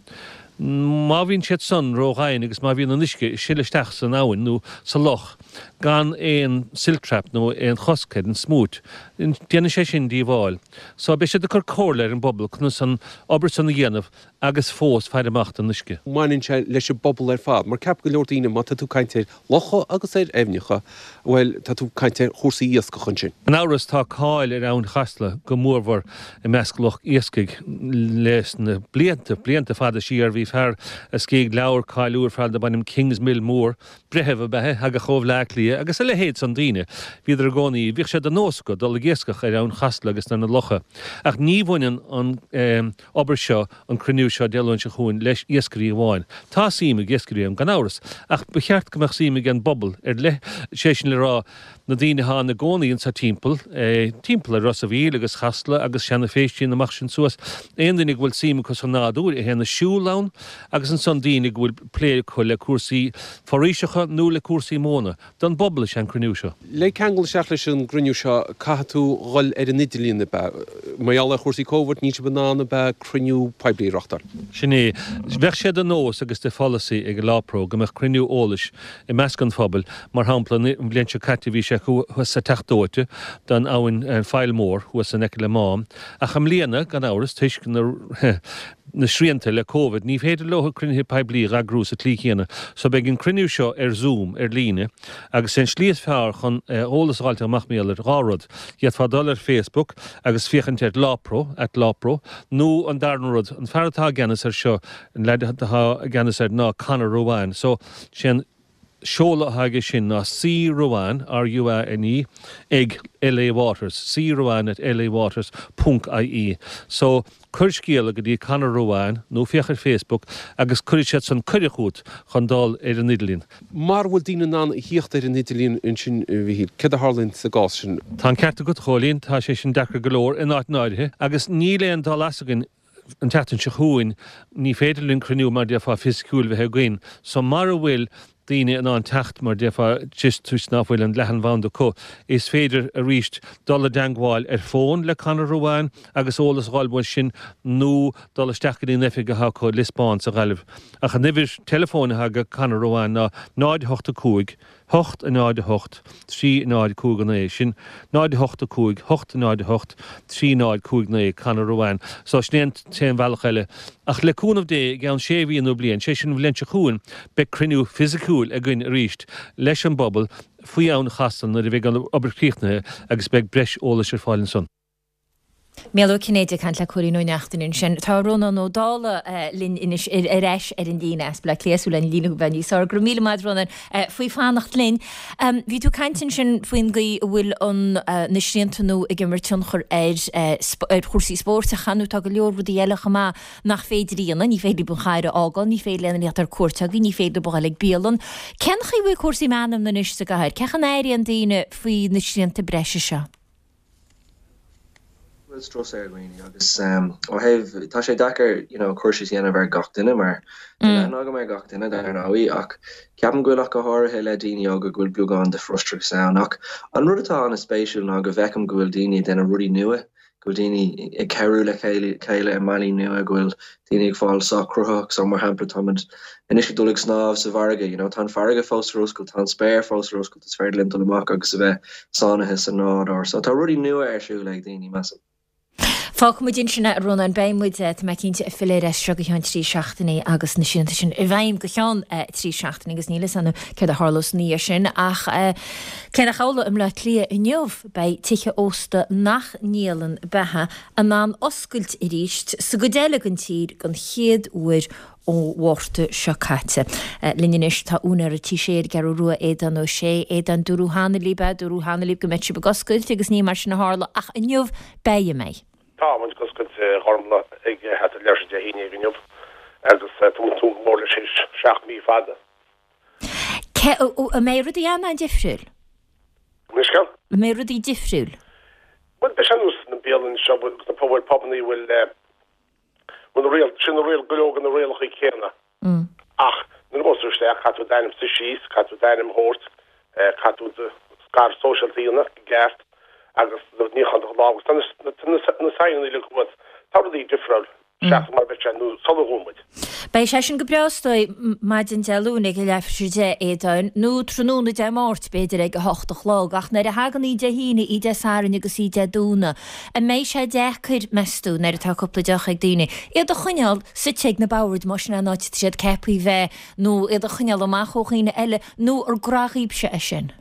Má bhíonn siad san ró-dhoimhin agus má bhíonn an uisce ag sileadh isteach san abhainn nó sa loch gan aon silt trap nó aon chosc ar an smúit, déanann sé sin díobháil. So beidh siad ag cur comhairle ar an bpobal conas an obair san a dhéanamh agus fós faire amach don uisce. Baineann sé leis an bpobal ar fad, mar ceapann go leor daoine má tá tú ag caint ar locha agus ar aibhneacha, bhuel, tá tú ag caint ar chúrsaí iascach ansin. Gan amhras tá cáil ar Abhainn Chasla go mórmhór i measc lucht iascaigh leis na blianta, blianta fada siar. Bhí fear a scrígh leabhar cáiliúil ar fad darb ainm Kingsmill Moore, breitheamh ab ea é, thagadh ó Bhleá Cliath agus a leithéid san daoine. Bhíodar i gcónaí, bhíodh sé de nós acu dul ag iascach ar Abhainn Chasla agus ar na locha. Ach ní bhaineann an obair seo, an cruinniú seo Dé Luain seo chugainn leis iascairí amháin. Tá suim ag iascairí ann, gan amhras, ach ba cheart go mbeadh suim ag an bpobal ar leith, sé sin le rá, na daoine atá ina gcónaí anso timpeall, timpeall ar Ros a' Mhíl agus Chasla agus Seanadh Phéistín amach sin suas, aon duine go bhfuil suim acu sa nádúr, a théann ag siúl ann, agus ansan daoine go bhfuil plé acu le cúrsaí foraoiseacha nó le cúrsaí móna. Don bpobal is ea an cruinniú seo. Le ceangal isteach leis an gcruinniú seo, caithfidh tú dhul ar an idirlíon, ab ea? Mar gheall ar chúrsaí Covid, níl sibh in ann, ab ea, cruinniú poiblí a reáchtáil? Sin é. Bheadh sé de nós agus de pholasaí ag an Lápro go mbeadh cruinniú eolais i measc an phobail, mar shampla, an bhliain seo caite bhí sé thuas sa Teach Dóite don abhainn, an Faill Mhór, thuas in aice le Mám. Ach i mbliana, gan amhras, toisc na na srianta le Covid, ní féidir leo cruinnithe poiblí a eagrú sa tslí chéanna. So beidh an cruinniú seo ar Zoom, ar líne, agus sé an slí is fearr chun eolas a fháilt amach mar gheall air, dhá rud. D'fhéadfá dul ar Facebook agus féachaint ar Lápro, at Lápro, nó an darna rud, an fear atá i gceannas air seo, an leaid atá i gceannas air ná Conor Ruane. So sé an seoladh atá aige sin ná C Ruane, R-U-A-N-E, ag LA Waters, C Ruane at LA Waters ponc IE. So cuir scéala go dtí Conor Ruane nó féach ar Facebook agus cuirfidh siad san cuireadh chugat chun dul ar an idirlíon. Mara bhfuil daoine in ann a thíocht ar an idirlíon ansin, a Mhichíl, céard a tharlaíonn sa gcás sin? Tá an ceart agat, a Chóilín, tá sé sin deacair go leor in áiteanna áirithe agus níl aon dul as againn an tseachtain seo chugainn, ní féidir linn cruinniú mar déarfá fisiciúil bheith againn so mara bhfuil daoine in ann teacht mar déarfá just toisc nach bhfuil an leathanbhanda acu, is féidir arís dul i dteangmháil ar fón le Conor Ruane agus eolas a dh'fháil uaidh sin nó dul isteach go dtí an oifig atá acu i Lios Bán sa Ghaillimh. Ach an uimhir teileafóin atá ag Conor Ruane ná náid a hocht a cúig, hocht a náid a hocht, trí náid cúig a naoi. Sin náid a hocht a cúig, hocht a náid a hocht, trí náid cúig naoi, Conor Ruane. So sin é an t-aon bhealach eile. Ach le cúnamh Dé, i gceann sé mhí nó bliain, sé sin an bhliain seo chugainn, beidh cruinniú fisiciúil againn arís leis an bpobal faoi Abhainn Chasla nuair a bheidh an obair críochnaithe agus beidh breis eolais ar fáil ansan. Mícheál Ó Cinnéide ag caint le Cóilín Ó Neachtain ansin. Tá Rónán Ó Dálaigh linn anois ar ais ar an líne as Bleá Cliath, súil le an líne a bheith níos fearr. Go raibh míle maith Rónán faoi fanacht linn. Bhí tú ag caint ansin faoin gcaoi a bhfuil an na srianta nua ag imirt tionchar ar ar chúrsaí spóirt ach ar ndóigh tá go leor rudaí eile chomh maith nach féidir a dhéanamh, ní féidir libh an chathair a fhágáil, ní féidir le aon duine theacht ar cuairt agaibh, ní féidir libh a dhul ag bialann. Cén chaoi a bhfuil cúrsaí meanmna anois sa gcathair? Cén chaoi a n-airíonn daoine faoi na srianta breise seo? bhfuil strus ar dhaoine agus ó thaobh, tá sé deacair you know cur síos a dhéanamh ar gach duine mar níl aithne agam ar gach duine dar ndóigh ach ceapaim go bhfuil ach go háirithe le daoine óga go bhfuil beagán de frustrachas ann ach an rud atá an-spéisiúil ná go bhfeicim go bhfuil daoine ag déanamh rudaí nua, go bhfuil daoine ag cabhrú le chéile i mbealaí nua, go bhfuil daoine ag fáil sách cruthaitheach so mar shampla táimid anois ag dul ag snámh sa bhfarraige you know tá an farraige fós ar oscailt, tá an spéir fós ar oscailt, is féidir linn dul amach agus a bheith sáinnithe sa nádúr so tá rudaí nua ar siúl ag daoine measaim. Fágfaidh muid ansin é, a Rónáin. Beidh muid, tá mé cinnte, ag filleadh air as seo go ceann trí seachtainí agus na srianta sin i bhfeidhm go ceann trí seachtainí agus níl a fhios againn céard a tharlós ina dhiaidh sin ach cé nach amhlaidh i mBleá Cliath inniu beidh tithe ósta nach ndíolann beatha in ann oscailt arís sa gcuid eile den tír den chéad uair ó Mhárta seo caite. Linn anois tá úinéir an Tí Sé ar an gCeathrú Rua, Aodán Ó Sé. Aodán, dúradh cheana libh, dúradh cheana libh go mbeadh sibh ag oscailt agus ní mar sin a tharla ach inniu beidh, an mbeidh? Tá muid ag oscailt a Ghormfhlaith ag thart ar leathuair tar éis a haon déag inniu agus tá muid ag tnúth go mór leis théis seacht mí fada. Cé, an mbeidh rudaí an-difriúil? Anois céard? An mbeidh rudaí difriúil? Bhuel, beidh sé ar nós na bialanna seo agus na pubaill, pubannaí a bhfuil bhfuil na riail, sin na riail, go leor de na rialacha céanna. Ach nuair a ghabhas tú isteach, caithfidh tú d'ainm suí síos, caithfidh tú d'ainm a thabhairt, caithfidh tú do scair sóisialta a dhéanamh i gceart agus do níochán do lámh agus tá na, na, na, na signeanna uilig thuas. Tá rudaí difriúil. seachas mar a bheadh sé nó sular dhún muid. Beidh sé sin go breá is dóigh maidin Dé Luain ag a leathuair tar éis a deich, a Aodáin, nó tráthnóna Dé Máirt b'fhéidir ag a hocht a chlog, ach nuair a thagann oíche Dé hAoine, oíche Dé Sathairn agus oíche Dé Domhnaigh, an mbeidh sé deacair, meas tú, nuair atá cúpla deoch ag daoine, iad a choinneáil suite ag na boird, más sin an áit atá siad ceaptha a bheith, nó iad a choinneáil amach ó dhaoine eile, nó ar gnó dhaoibhse é sin?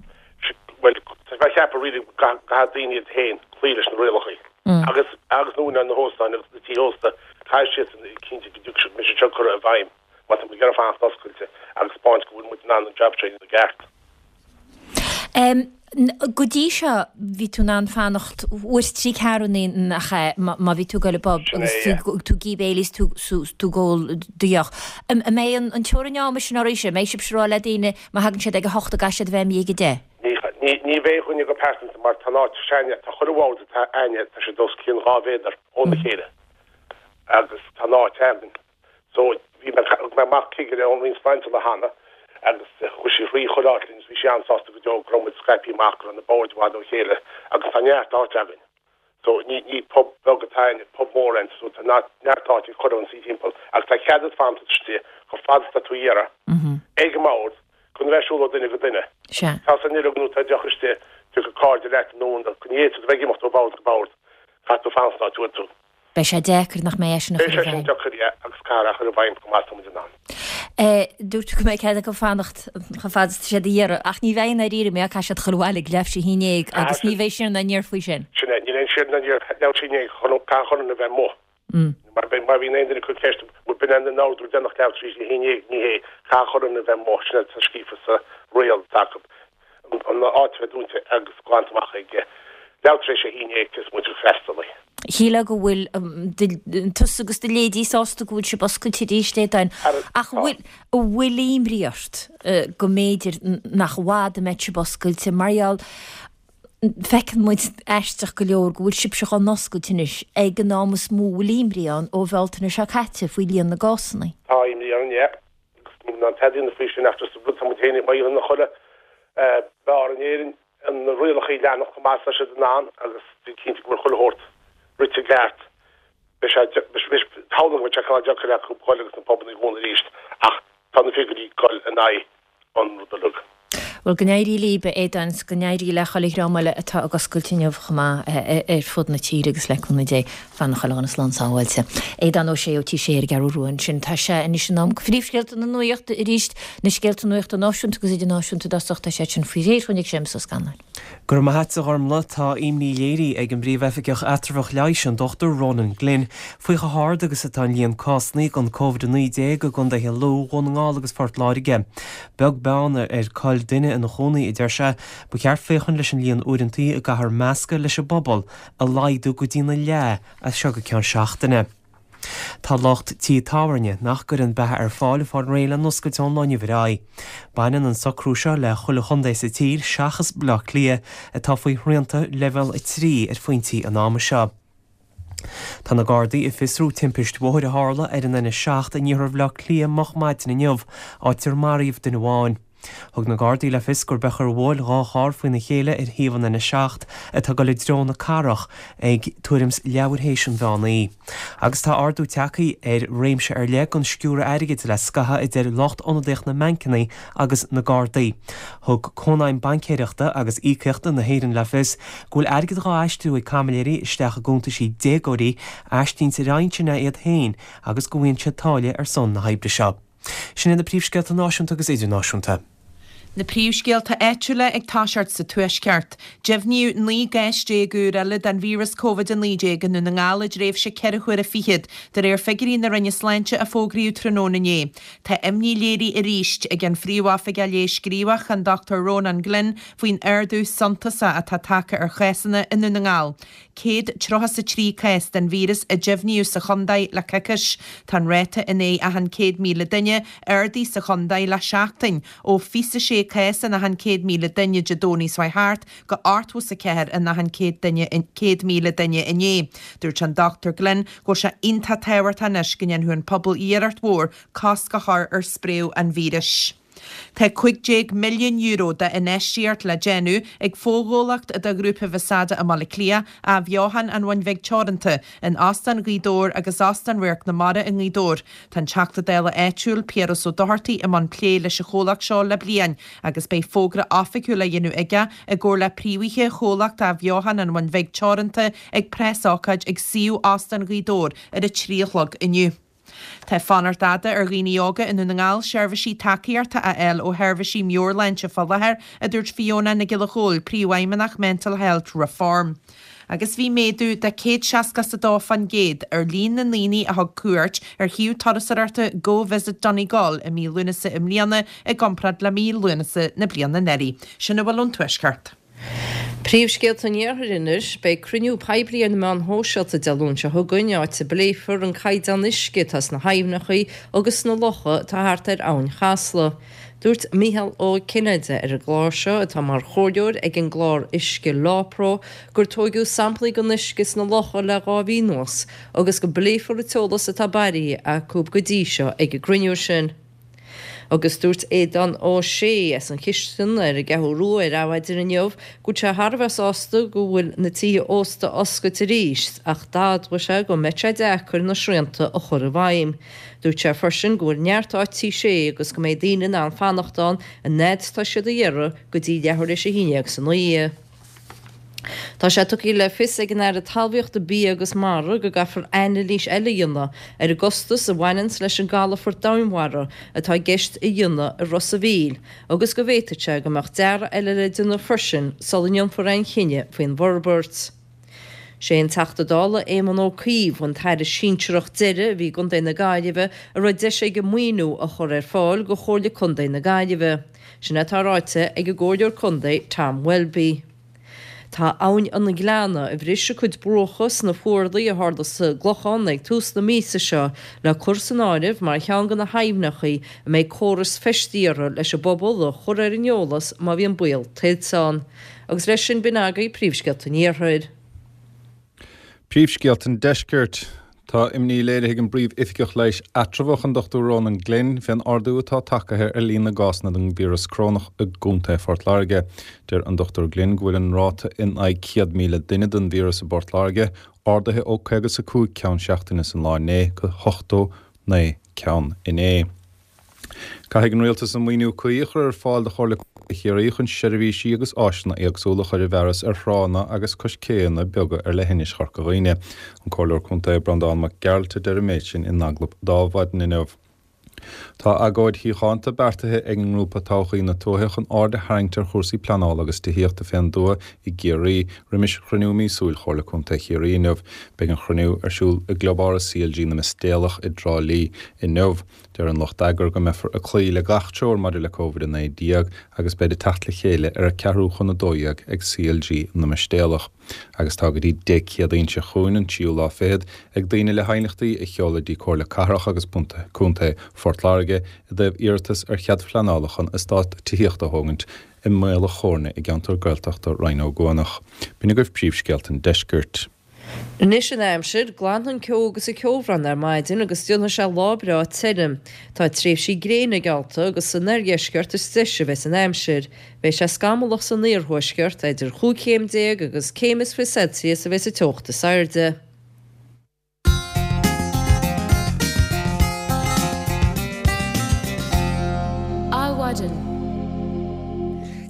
Bhuel, tá mé ag ceapadh really go gcaithfidh daoine iad féin cloí leis na rialacha. Agus agus na úinéirí na hóstáin agus na tithe ósta, caithfidh siadsan cinntiú go dtiocfaidh siad, go mbeidh siad seo curtha i bhfeidhm má tá muid ag iarraidh fanacht oscailte agus spáint go bhfuil muid in ann an jab seo a dhéanamh i gceart. Go dtí seo bhí tú in ann fanacht uair is trí ceathrúna nach ea má bhí tú ag dul i bpub agus tú tú ag ithe béilí is tú tú ag ól do dheoch. An mbeidh an teorainn ama sin arís, an mbeidh sibhse ag rá le daoine má thagann siad ag a hocht go gcaithfidh siad a bheith imithe ag a deich? Ní bheidh againne go pearsanta mar tá an áit s'againne, tá chuile bhord atá againne, tá siad os cionn dhá mhéadar óna chéile agus tá an áit againn. So bhí mé, thug mé amach cigire ón Roinn Sláinte le cheana agus chuaigh sí thrí chuile áit linn agus bhí sí an-sásta go deo go raibh muid scaipthe amach, go raibh na boird i bhfad ó chéile agus tá neart áite againn. So ní ní pub beag atá againn, pub mór é so tá neart áite ag chuile dhuine suí timpeall agus tá cead agat fanacht istigh chomh fada is atá tú a iarraidh ag an mbord gan a bheith ag siúl ó duine go duine. Sea. Tá san uilig nó tá deoch istigh, tiocfaidh cairde leat nó go ní fhéadfaidh tú a bheith ag imeacht ó bhord go bord, caithfidh tú fanacht san áit a bhfuil tú. Beidh sé deacair nach mbeidh é sin a Beidh chur i sé sin bhfeidhm. deacair, yeah, agus caithfear é a chur i bhfeidhm chomh maith is atá muid in ann. Dúirt tú go mbeidh cead acu fanacht chomh fada is atá siad a iarraidh, ach ní bheidh i ndáiríre, mar caithfidh siad dul abhaile ag leathuair tar éis a haon déag agus ní bheidh siar ná aniar faoi sin. Sin é, níl aon siar ná aniar, leathuair tar éis a haon déag, caithfidh chuile dhuine a bheith amuigh. Mar má bhíonn aon duine ag cur ceist, bhuel b'in an t-ordú déanach leathuair tar éis a haon déag, ní hé, caithfidh chuile dhuine a bheith amuigh, sin atá scríofa sa riail atá acu, an áit a bheith dúnta agus glanta amach ag leathuair tar éis a haon déag cé is moite de fhreastalaí. Shílfeá go bhfuil tusa agus do leithéidí sásta go bhfuil sibh oscailte arís, a Aodáin, ach an bhfuil, an bhfuil imní ort go mb'fhéidir nach i bhfad a mbeidh sibh oscailte mar gheall Feiceann muid, aisteach go leor, go bhfuil sibhse dhá n-oscailt anois ag an am is mó a bhfuil imní ann ó Bhealtaine seo caite faoi líon na gcásanna. Tá imní orainn, yeah. Agus níl in ann tada a dhéanamh faoi sin ach just rud tá muid féin ag maíomh ina chuile beár in Éirinn na rialacha a leanacht chomh maith is atá siad in ann agus bí cinnte go bhfuil chuile shórt rite i gceart. Beidh sé, samhlaím go mbeidh sé cineál deacair acu dhul agus na pubanna a dhúnadh arís ach tá na figiúirí ag dul in aghaidh an rud uilig. Bhuel, go n-éirí libh, a Aodáin, 's go n-éirí le chuile dhream eile atá ag oscailt inniu chomh maith ar fud na tíre agus le cúnamh Dé, fanadh chuile dhuine slán sábháilte. Aodán Ó Sé ó Tí Sé ar an gCeathrú Rua ansin. Tá sé anois in am do phríomhscéalta na nuachta arís, na scéalta nuachta náisiúnta agus idirnáisiúnta i dtosach, tá siad sin faoi réir chugainn ag Séamus Ó Scanláin. Go raibh maith agat, a Ghormlaith. Tá imní léirithe ag an bPríomh-Oifigeach Eatramhach Leighis, an Dochtúir Ronan Glynn, faoi chomh hard agus atá an líon cásanna den Covid a naoi déag i gcontaetha Lú, Dhún na nGall agus Phort Láirge. Beag beann ar cáil duine ina chónaí, a deir sé, ba cheart féachaint leis an líon uaireantaí a gcaithfear meascadh leis an bpobal a laghdú go dtína leath as seo go ceann seachtaine. Tá lucht tí tábhairne nach gcuireann beatha ar fáil ag fáil réidh le n-oscailt ón lá inniu ar aghaidh. Baineann an socrú seo le chuile chontae sa tír seachas Baile Átha Cliath atá faoi shrianta leibhéal a trí ar phointí an ama seo. Tá na Gardaí ag fiosrú timpist bhóthair a tharla ar an N a seacht in iarthar Bhaile Átha Cliath moch maidin inniu, áit ar maraíodh duine amháin. Thug na Gardaí le fios gurb é gur bhuail dhá charr faoina chéile ar thaobh an N a seacht atá ag dul i dtreo na cathrach ag tuairim 's leathuair théis an mheán oíche. Agus tá ardú tagtha ar réimse ar leith den sciúradh airgid le scaitheamh a deir lucht ionadaíocht na mbancanna agus na Gardaí. Thug Cónaidhm Baincéireachta agus Íocaíochta na hÉireann le fios go bhfuil airgead dhá aistriú ag caimiléirí isteach i gcuntaisí déagóirí, aistínte ar intinn iad féin agus go bhfaigheann siad táille ar son na hoibre seo. Sin iad na príomhscéalta náisiúnta agus idirnáisiúnta. Na príomhscéalta áitiúla ag toiseacht sa Tuaisceart. Deimhníodh naoi gcás déag úr eile den víreas Covid a naoi déag i nDún na nGall i dtréimhse ceithre huaire fichead, de réir figiúirí na Roinne Sláinte a fógraíodh tráthnóna inné. Tá imní léirithe arís ag an Phríomhoifigeach Leighis Gníomhach, an Dochtúir Rónán Glynn, faoin ardú suntasach atá tagtha ar chásanna i nDún na nGall. céad tríocha 's a trí cás den víreas a deimhníodh sa chontae le coicís. Tá an ráta in aghaidh achan céad míle duine ardaithe sa chontae le seachtain, ó fiche 's a sé cás in achan céad míle duine Dé Domhnaigh seo thart go ochtó 's a ceathair in achan céad duine céad míle duine inné. Dúirt an Dochtúir Glynn go bhfuil sé iontach tábhachtach anois go ndéanfadh an pobal iarracht mhór cosc a chur ar spréadh an víris. Tá cúig déag milliún euro d'infheistíocht le déanamh ag fochomhlacht de Ghrúpa Visada i mBaile Átha Cliath, Athbheochan an Bhun Bhig Teoranta, in Óstán Ghaoth Dobhair agus Óstán Radharc na Mara i nGaoth Dobhair. Tá an Teachta Dála áitiúil, Piaras Ó Dochartaigh i mbun plé leis an chomhlacht seo le bliain agus beidh fógra oifigiúil á dhéanamh aige i gcomhar le príomhaithe chomhlacht Athbheochan an Bhun Bhig Teoranta ag preasócáid ag suíomh Óstán Ghaoth Dobhair ar a trí a chlog inniu. Tá fanacht fhada ar dhaoine óga i nDún na nGall seirbhísí tacaíochta a fháil ó sheirbhísí meabhairshláinte fá láthair, a dúirt Fiona Nic Giolla Chóill, Príomhfheidhmeannach Mental Health Reform. Agus bhí méadú de céad seasca is a dó fán gcéad ar líon na ndaoine a thug cuairt ar shuíomh turasóireachta Go Visit Donegal i mí Lúnasa i mbliana i gcomparáid le mí Lúnasa na bliana anuraidh. Sin a bhfuil ón Tuaisceart. Príomhscéalta an Iarthair anois, Beidh cruinniú poiblí ar na meáin shóisialta Dé Luain seo chugainn, áit a bpléifear an caighdeán uisce atá sna haibhneacha agus sna locha atá thart ar Abhainn Chasla. Dúirt Mícheál Ó Cinnéide ar an gclár seo, atá mar chomhairleoir ag an gclár uisce LawPro, gur tóigeadh samplaí den uisce sna locha le dhá mhí anuas agus go bpléifear an t-eolas atá bailithe acu go dtí seo ag an gcruinniú sin. Agus dúirt Aodán Ó Sé as an Chistin ar an gCeathrú Rua ar Adhmhaidin inniu go bhfuil sé thar a bheith sásta go bhfuil na tithe ósta oscailte arís ach d'admhaigh sé go mbeidh sé deacair na srianta a chur i bhfeidhm. Dúirt sé freisin go bhfuil neart áit tí sé agus go mbeidh daoine in ann fanacht ann an fhad is atá siad a iarraidh go dtí leathuair théis a haon déag san oíche. Tá sé tugtha le fios ag an Aire Talmhaíochta, Bia agus Mara go gcaithfear anailís eile a dhéanamh ar an gcostas a bhaineanns leis an gcalafort domhainmhara atá i gceist a dhéanamh i Ros a' Mhíl agus go bhféadfadh sé go mbeadh dearadh eile le déanamh freisin sula ndéanfar aon chinneadh faoin bhforbairt. Sé an Teachta Dála Éamon Ó Cuív an tAire sinsearach deiridh a bhí i gContae na Gaillimhe a raibh deis aige maoiniú a chur ar fáil do Chomhairle Contae na Gaillimhe. Sin atá ráite ag an gComhairleoir Contae Tom Welby. Tá Abhainn an Ghleanna, a bhris a cuid bruacha sna fuarlaigh a tharla sa gClochán ag tús na míosa seo, le cur san áireamh mar cheann de na haibhneacha a mbeidh córas feistithe orthu leis an bpobal a chur ar an eolas má bhíonn baol tuilte ann. Agus leis sin b'in agaibh príomhscéalta an Iarthair. Príomhscéalta an Deiscirt. Tá imní léirithe ag an bPríomh-Oifigeach Leighis Eatramhach, an Dochtúir Ronan Glynn, fén ardú atá tagtha ar líon na gcásanna den víreas corónach i gContae Phort Láirge. Deir an Dochtúir Glynn go bhfuil an ráta in aghaidh céad míle duine den víreas i bPort Láirge ardaithe ó caoga is a cúig ceann seachtaine san lá inné go hochtó naoi ceann inné. Caithfidh an Rialtas an maoiniú cuí a chur ar fáil do Chomhairle Contae Chiarraí chun seirbhísí agus áiseanna éagsúla a chur i bhfearas ar thránna agus cois céanna beaga ar leithinis Chorca Dhuibhne. An Comhairleoir Contae Breandán Mac Gearailt a deir an méid sin in agallamh d'Adhmhaidin inniu. Tá agóid shíochánta beartaithe ag an ngrúpa Todhchaí na Tuaithe chun aird a tharraingt ar chúrsaí pleanála agus tithíochta fén dtuath i gCiarraí roimis chruinniú míosúil Chomhairle Contae Chiarraí inniu. Beidh an chruinniú ar siúl i gClubáras C L G na Mistéalach i dTrá Lí inniu. Deir an lucht eagair go mbeifear ag cloí le gach treoir maidir le Covid a naoi déag agus beid ag teacht le chéile ar a ceathrú chun a dó dhéag ag C L G na Mistéalach. Agus tá go dtí Dé Céadaoin seo chugainn, an tríú lá fichead, ag daoine le haighneachtaí a sheoladh dtí Comhairle Cathrach agus Contae Phort Láirge i dtaobh iarratas ar chead phleanála chun eastát tithíochta a thógaint i Mullach Chóirne i gceantar Gaeltachta Rinn Ó gCuanach. B'in agaibh príomhscéalta an deiscirt. Anois an aimsir, glanfaidh an ceo agus an ceobhrán ar maidin agus déanfaidh sé lá breá tirim. Tá tréimhsí gréine geallta agus san oirdheisceart is deise a bheas an aimsir. Beidh sé scamallach san iarthuaisceart, idir chúig chéim déag agus céim is fiche Celsius a bheas an teocht is airde. Adhmhaidin.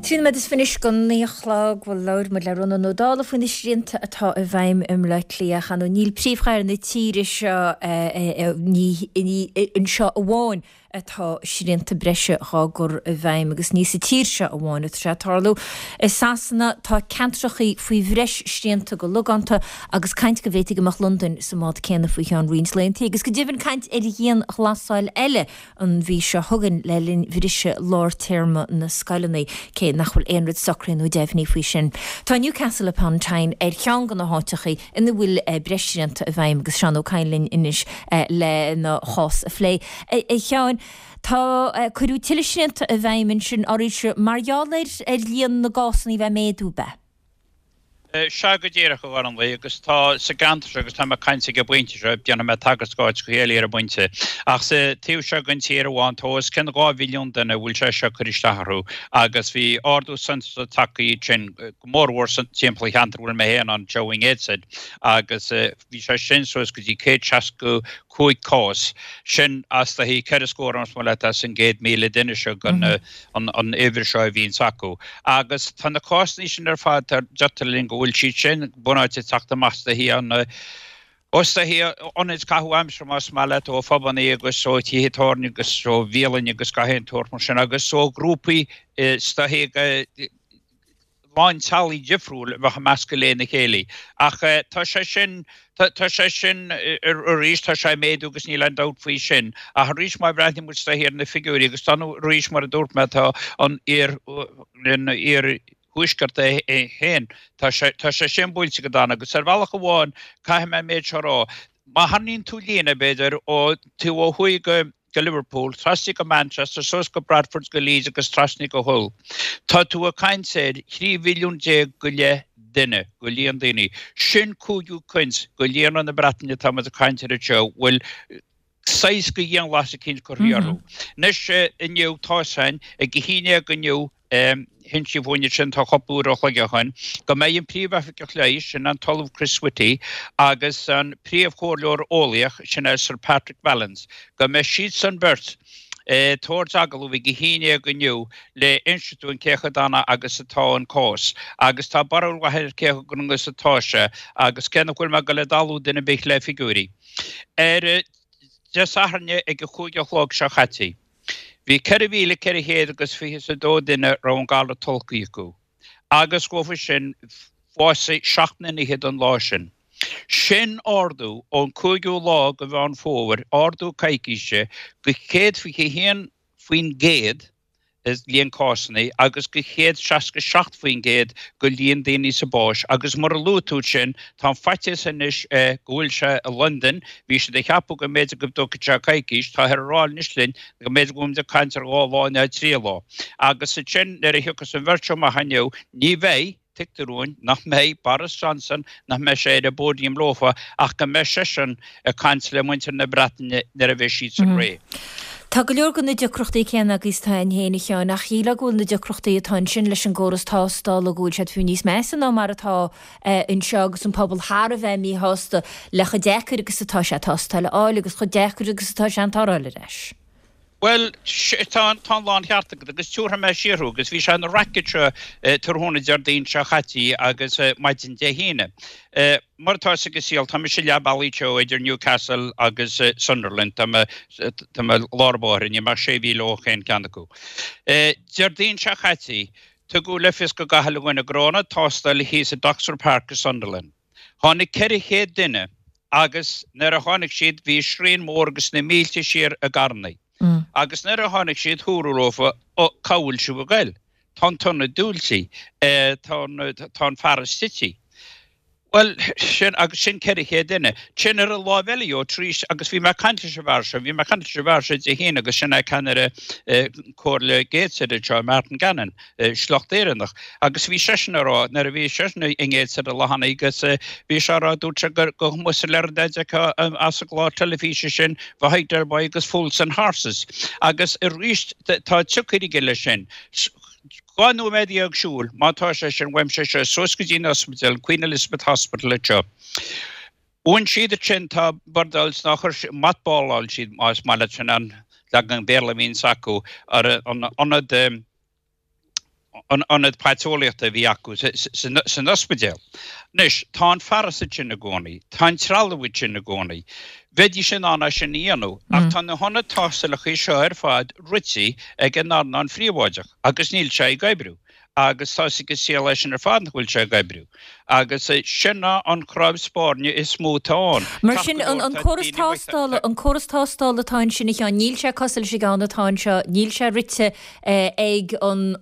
Trí nóiméad is fiche anois go naoi a chlog, bhuel, labhair muid le Rónán Ó Dálaigh faoi na srianta atá i bhfeidhm i mBleá Cliath. Ach níl príomhchathair na tíre seo, ní anseo amháin atá srianta breise dhá gcur i bhfeidhm agus ní sa tír seo amháin atá sé ag tarlú. I Sasana tá ceantrachaí faoi bhreis srianta go logánta agus caint go bhféadfaidh go mbeadh Londain sa mbád céanna faoi cheann roinnt laethanta agus go deimhin caint ar dhianghlasáil eile an mhí seo chugainn le linn bhriseadh lár téarma na scoileanna, cé nach bhfuil aon rud socraithe nó deimhnithe faoi sin. Tá Newcastle upon Tyne ar cheann de na háiteacha ina bhfuil breis srianta i bhfeidhm agus Seán Ó Cadhain linn anois lena chás a phlé. A Sheáin, tá, cuireadh tuilleadh srianta i bhfeidhm ansin arís mar gheall ar líon na gcásanna a bheith ag méadú, ab ea? Sea go díreach, a Ghormlaith, agus tá sa gceantar seo, agus tá mé ag caint ag an bpointe seo, déanfaidh mé tagairt d'áiteacha eile ar an bpointe, ach sa taobh seo den tír amháin, tá os cionn dhá mhilliún duine a bhfuil sé seo ag cur isteach orthu, agus bhí ardú suntasach tagtha ansin, go mórmhór timpeall an cheantair a bhfuil mé féin ann anseo i nGateshead, agus bhí sé sin suas go dtí céad seasca cúig cás, sin as do cheithre scór más maith leat as an gcéad míle duine seo den an uimhir seo a bhíonns acu. Agus tá na cásanna sin ar fad, tá deirtear linn go bhfuil siad sin bunáite ag teacht amach is dóichí an is dóichí ionaid caitheamh aimsire más maith leat ó phubanna agus ó thithe tábhairne agus ó bhialainn agus gach aon tsórt mar sin agus ó ghrúpaí is dóichí lán teaghlaigh difriúil a bheadh ag meascadh lena chéile. Ach tá sé sin, tá sé sin arís, tá sé ag méadú agus níl aon dabht faoi sin. Ach arís má bhreathnaíonn muid is dóichí ar na figiúirí agus tá nó arís mar a dúirt mé tá an iar, an iar thuaisceart é féin, tá sé, tá sé sin buailte go dona agus ar bhealach amháin caithfidh mé an méid seo a rá, má tharraingíonn tú líne b'fhéidir ó taobh ó thuaidh go, go Liverpool, trasna go Manchester, suas go Bradford, go Leeds agus trasna go Hull. Tá tú ag caint ar thrí mhilliún déag go leith duine, go líon daoine. Sin cúigiú cuid go líonra na Breataine atá muid ag caint air anseo, bhfuil saghas go dhianghlasáil eicínt curtha orthu. Anois inniu, tá a fhios againn, ag a haon déag inniu, Insíodh dúinn ansin tá cúpla uair an chloig ó shin go mbeidh an Príomh-Oifigeach Leighis, sin an tOllamh Chris Whitty, agus an Príomh-Chomhairleoir Eolaíoch, sin é Sir Patrick Vallance, go mbeidh siadsan beirt ag tabhairt agallamh ag a haon déag inniu le insint dúinn cé chomh dona agus atá an cás. Agus tá barúil mhaith ar cé chomh dona agus atá sé agus cé nach bhfuil mé ag dul ag dallú duine ar bith le figiúirí. Ar Dé Sathairn ag a cúig a chlog seo chaite. Bhí ceithre mhíle ceithre chéad agus fiche is a dó duine a raibh an galar tolgtha acu, agus dhófa sin bhásaigh seacht nduine fhichead an lá sin. Sin ardú ón cúigiú lá de Mheán Fómhair, ardú coicíse, go céad fiche haon faoin gcéad i líon cásanna agus go céad seasca seacht faoin gcéad go líon daoine sa báis agus mar a luaigh tú sin tá an faitíos anois go bhfuil sé i Londain, bhí siad ag ceapadh go mb'fhéidir go dtógfadh sé coicís, táthar ag rá anois linn go mb'fhéidir go bhfuil muid ag caint ar dhá lá nó trí lá. Agus ansin nuair a thiocfas an bheirt seo amach inniu ní bheidh, Tuigtear dúinn nach mbeidh Boris Johnson, nach mbeidh sé ar an bpóidiam leofa ach go mbeidh seisean ag caint le muintir na Breataine nuair a bheidh siadsan réidh. Tá go leor de na deacrachtaí céanna agaibh is atá againn féin, a Sheáin, ach shílfeá go bhfuil na deacrachtaí atá ansin leis an gcóras tástála, go bhfuil siad fiú níos measa ná mar atá anseo agus an pobal thar a bheith míshásta le chomh deacair agus atá sé tástáil a fháil agus chomh deacair agus atá sé an toradh a fháil ar ais. Bhuel, tá an láncheart agat agus tiúrfaidh mé siar thú agus bhí sé ina racket seo tráthnóna Déardaoin seo chaite agus maidin Dé hAoine. Mar atá fhios ag an saol, tá mise leath bealaigh anseo idir Newcastle agus Sunderland, tá mé tá mé lár báire, níl mé ach sé mhíle ó chaon ceann acu. Déardaoin seo chaite, tugadh le fios do gach uile dhuine go raibh ionad tástála thíos i Doxford Park i Sunderland. Tháinig ceithre chéad duine agus nuair a tháinig siad bhí srian mór agus na mílte siar i gcarrannaí. Agus nuair a tháinig siad dúradh leofa, Ó, cá bhfuil sibh ag goil? Tá an t-ionad dúilte, tá an, tá an fearas tite. Bhuel, sin, agus sin ceithre chéad duine. Sin ar an láimh eile dhó, tar éis, agus bhí mé ag caint leis an bhfear seo, bhí mé ag caint leis an bhfear seo Dé hAoine agus sin é ceannaire Comhairle Gateshead anseo, Martin Gannon. sliocht Éireannach. Agus bhí seisean a rá, nuair a bhí seisean i nGateshead an lá cheana agus bhí sé a rá, dúirt sé gur go amuigh sa lear dá d'fheicfeá as an gclár teilifíse sin, bheadh Del Boy agus Fools and Horses. Agus arís tá siocair aige leis sin. Dhá nóiméad dhéag siúil, má tá sé sin uaimse seo, suas go dtí an ospidéal, Queen Elizabeth Hospital anseo. Bhain siad ansin, tá bordáil ná chuir siad, mothballáil siad, más maith leat sin an leagan Béarla a bhíonns acu, ar an ionad, an ionad paiteolaíochta a bhí acu san ospidéal. Anois, tá an fearas ansin i gcónaí, tá an trealamh ansin i gcónaí. Bheidís in ann é sin a dhéanamh, ach tá na hionaid tástálacha seo ar fad rite ag an earnáil phríobháideach agus níl sé ag oibriú. Agus tá a fhios ag an saol é sin ar fad nach bhfuil sé ag oibriú. Agus sin é an chnámh spairne is mó atá ann. Mar sin, an córas tástála, an córas tástála atá ansin, a Sheáin, níl sé cosúil leis an gceann atá anseo, níl sé rite ag an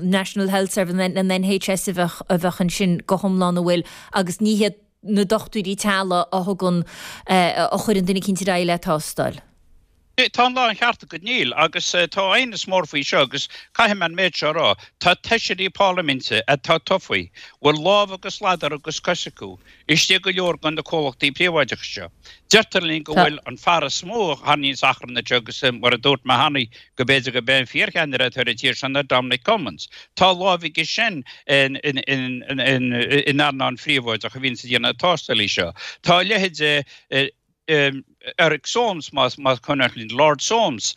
National Health Service, an NHS a bheadh, a bheadh ansin go hiomlán, an bhfuil, agus ní hiad na dochtúirí teaghlaigh a thugann, a chuireann duine eicínt ar aghaidh le tástáil. Tá an láncheart agat níl, agus tá aighneas mór faoi seo agus caithfidh mé an méid seo a rá, tá feisirí parlaiminte atá tofa, bhfuil lámh agus ladar agus cos acu istigh go leor de na comhlachtaí príobháideacha seo. Deirtear linn go bhfuil an fear is mó a tharraingíonns achrann anseo agus mar a dúirt mé cheana go b'fhéidir go b'é an fíorcheannaire atá ar an tír seo ná Dominic Cummings. Tá lámh aige sin in earnáil phríobháideach a bhíonns ag déanamh na tástálaí seo. Tá a leithéid Eric Soames, más cuimhin linn, Lord Soames,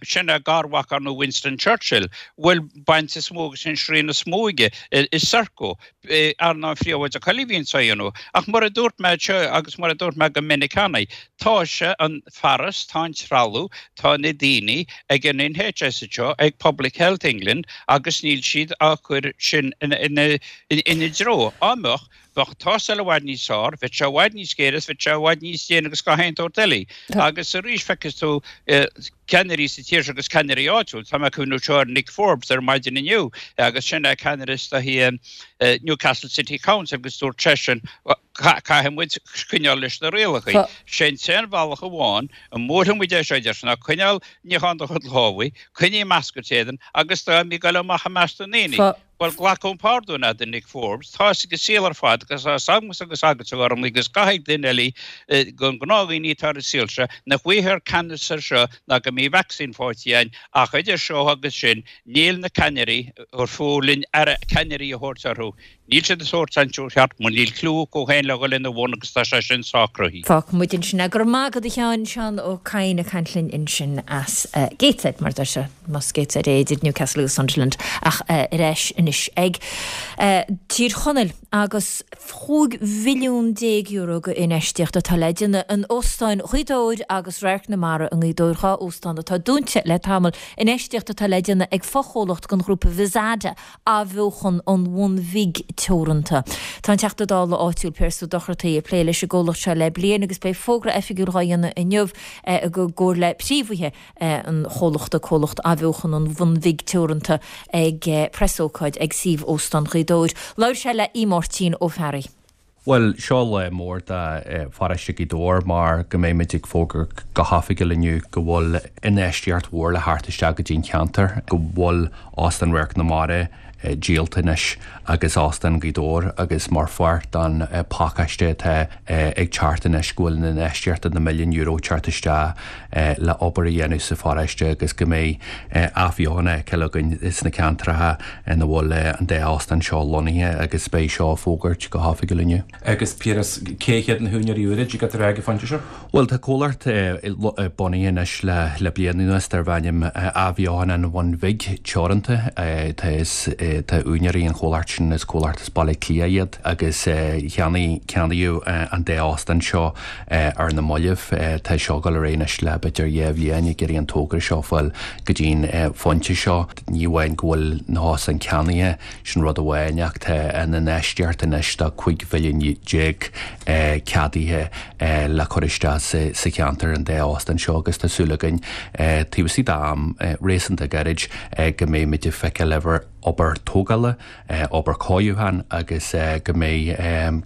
sin é garmhac ar ndóigh Winston Churchill, bhfuil baint is mó agus an srian is mó aige i Serco, earnáil phríobháideach eile a bhíonns á dhéanamh. Ach mar a dúirt mé anseo agus mar a dúirt mé go minic cheana, tá sé an fearas, tá an trealamh, tá na daoine ag an NHS anseo, ag Public Health England agus níl siad á chur sin ina dtreo. Dá mbeadh, Bheadh tástáil i bhfad níos fearr, bheadh sé i bhfad níos géire is bheadh sé i bhfad níos déine agus gach aon tsórt eile. Agus arís feicfidh tú ceannairí sa tír seo agus ceannairí áitiúil, tá mé ag cuimhniú anseo ar Nick Forbes ar maidin inniu agus sin é ceannaire is dóichí Newcastle City Council agus dúirt seisean caithfidh muid coinneáil leis na rialacha. Sé an t-aon bhealach amháin a mbuailfidh muid é seo a deir sé ná coinneáil níochán do chuid lámhaí, coinnigh masc ort éadan agus ná bí ag goil amach i measc na ndaoine. Bhuel, glacaim pardún a'd, a Nick Forbes, tá 'fhios ag an saol ar fad, agus tá 'fhios agamsa agus agatsa, a Ghormlaí, agus gach aon duine eile, den gnáthdhaoine atá ar an saol seo, nach bhfaighfear ceannas air seo ná go mbeidh vacsaín faighte againn, ach idir seo agus sin, níl na ceannairí, ar fiú linn aire ceannairí a thabhairt orthu, níl siad ag tabhairt an treo ceart, mar níl cliú acu féin le dhul ina bhun agus tá sé sin sách cruthaithe. Fágfaidh muid ansin é. Go raibh maith agat a Sheáin, Seán Ó Cadhain ag caint linn ansin as Gateshead, mar a deir sé. Más Gateshead é idir Newcastle agus Sunderland ach ar ais anois ag Tír Chonaill agus chúig mhilliún déag euro go infheistíocht atá le déanamh in Óstán Ghaoth Dobhair agus Radharc na Mara i nGaoth Dobhair, dhá óstán atá dúnta le tamall, infheistíocht atá le déanamh ag fochomhlacht den ghrúpa Vizada, Athbheochan an Bhun Bhig Teoranta. Tá an Teachta Dála áitiúil Pearse Ó Dochartaigh ag plé leis an gcomhlacht seo le bliain agus beidh fógra oifigiúil dhá dhéanamh inniu i gcomhar le príomhaithe an chomhlachta, Comhlacht Athbheochan an Bhun Bhig Teoranta, ag preasócáid ag suíomh Óstán Ghaoth Dobhair. Labhair sé le Aodh Máirtín Ó Fearraigh. Bhuel, seo lá mór do pharóiste Ghaoth Dobhair mar go mbeidh muid ag fógairt go hoifigiúil inniu go bhfuil infheistíocht mhór le theacht isteach go dtí an cheantar, go bhfuil Óstán Radharc na Mara díolta anois agus Óstán Ghaoth Dobhair agus mar pháirt den phacáiste atá ag teacht anois go bhfuil an infheistíocht de na milliún euro ag teacht isteach le obair a dhéanamh sa pharóiste agus go mbeidh athbheochan á fheiceáil againn sna ceantracha ina bhfuil an dá óstán seo lonnaithe agus beidh seo á fógairt go hoifigiúil inniu. Agus Piaras, cé hiad na húinéirí úra, dtig leat a rá ag an phointe seo? Bhuel, tá comhlacht bunaithe anois le bliain anuas darb ainm Athbheochan an Bhun Bhig Teoranta. Tá tá úinéirí an chomhlacht sin, is comhlacht as Baile Átha Cliath iad agus cheannaigh ceannaíodh an dá óstán seo ar na mallaibh. Tá seo ag dul ar aghaidh anois le b'fhéidir dhá bhliain ag iarraidh an togra seo a fháil go dtí'n phointe seo. Ní amháin go bhfuil na hóstáin ceannaithe, sin rud amháin, ach tá an infheistíocht anois de cúig mhilliún déag ceadaithe le cur isteach sa cheantar, an dá óstán seo, agus tá súil againn taobh istigh d'am réasúnta gairid go mbeidh muid ag feiceáil obair tógála, obair cóiriúcháin agus go mbeidh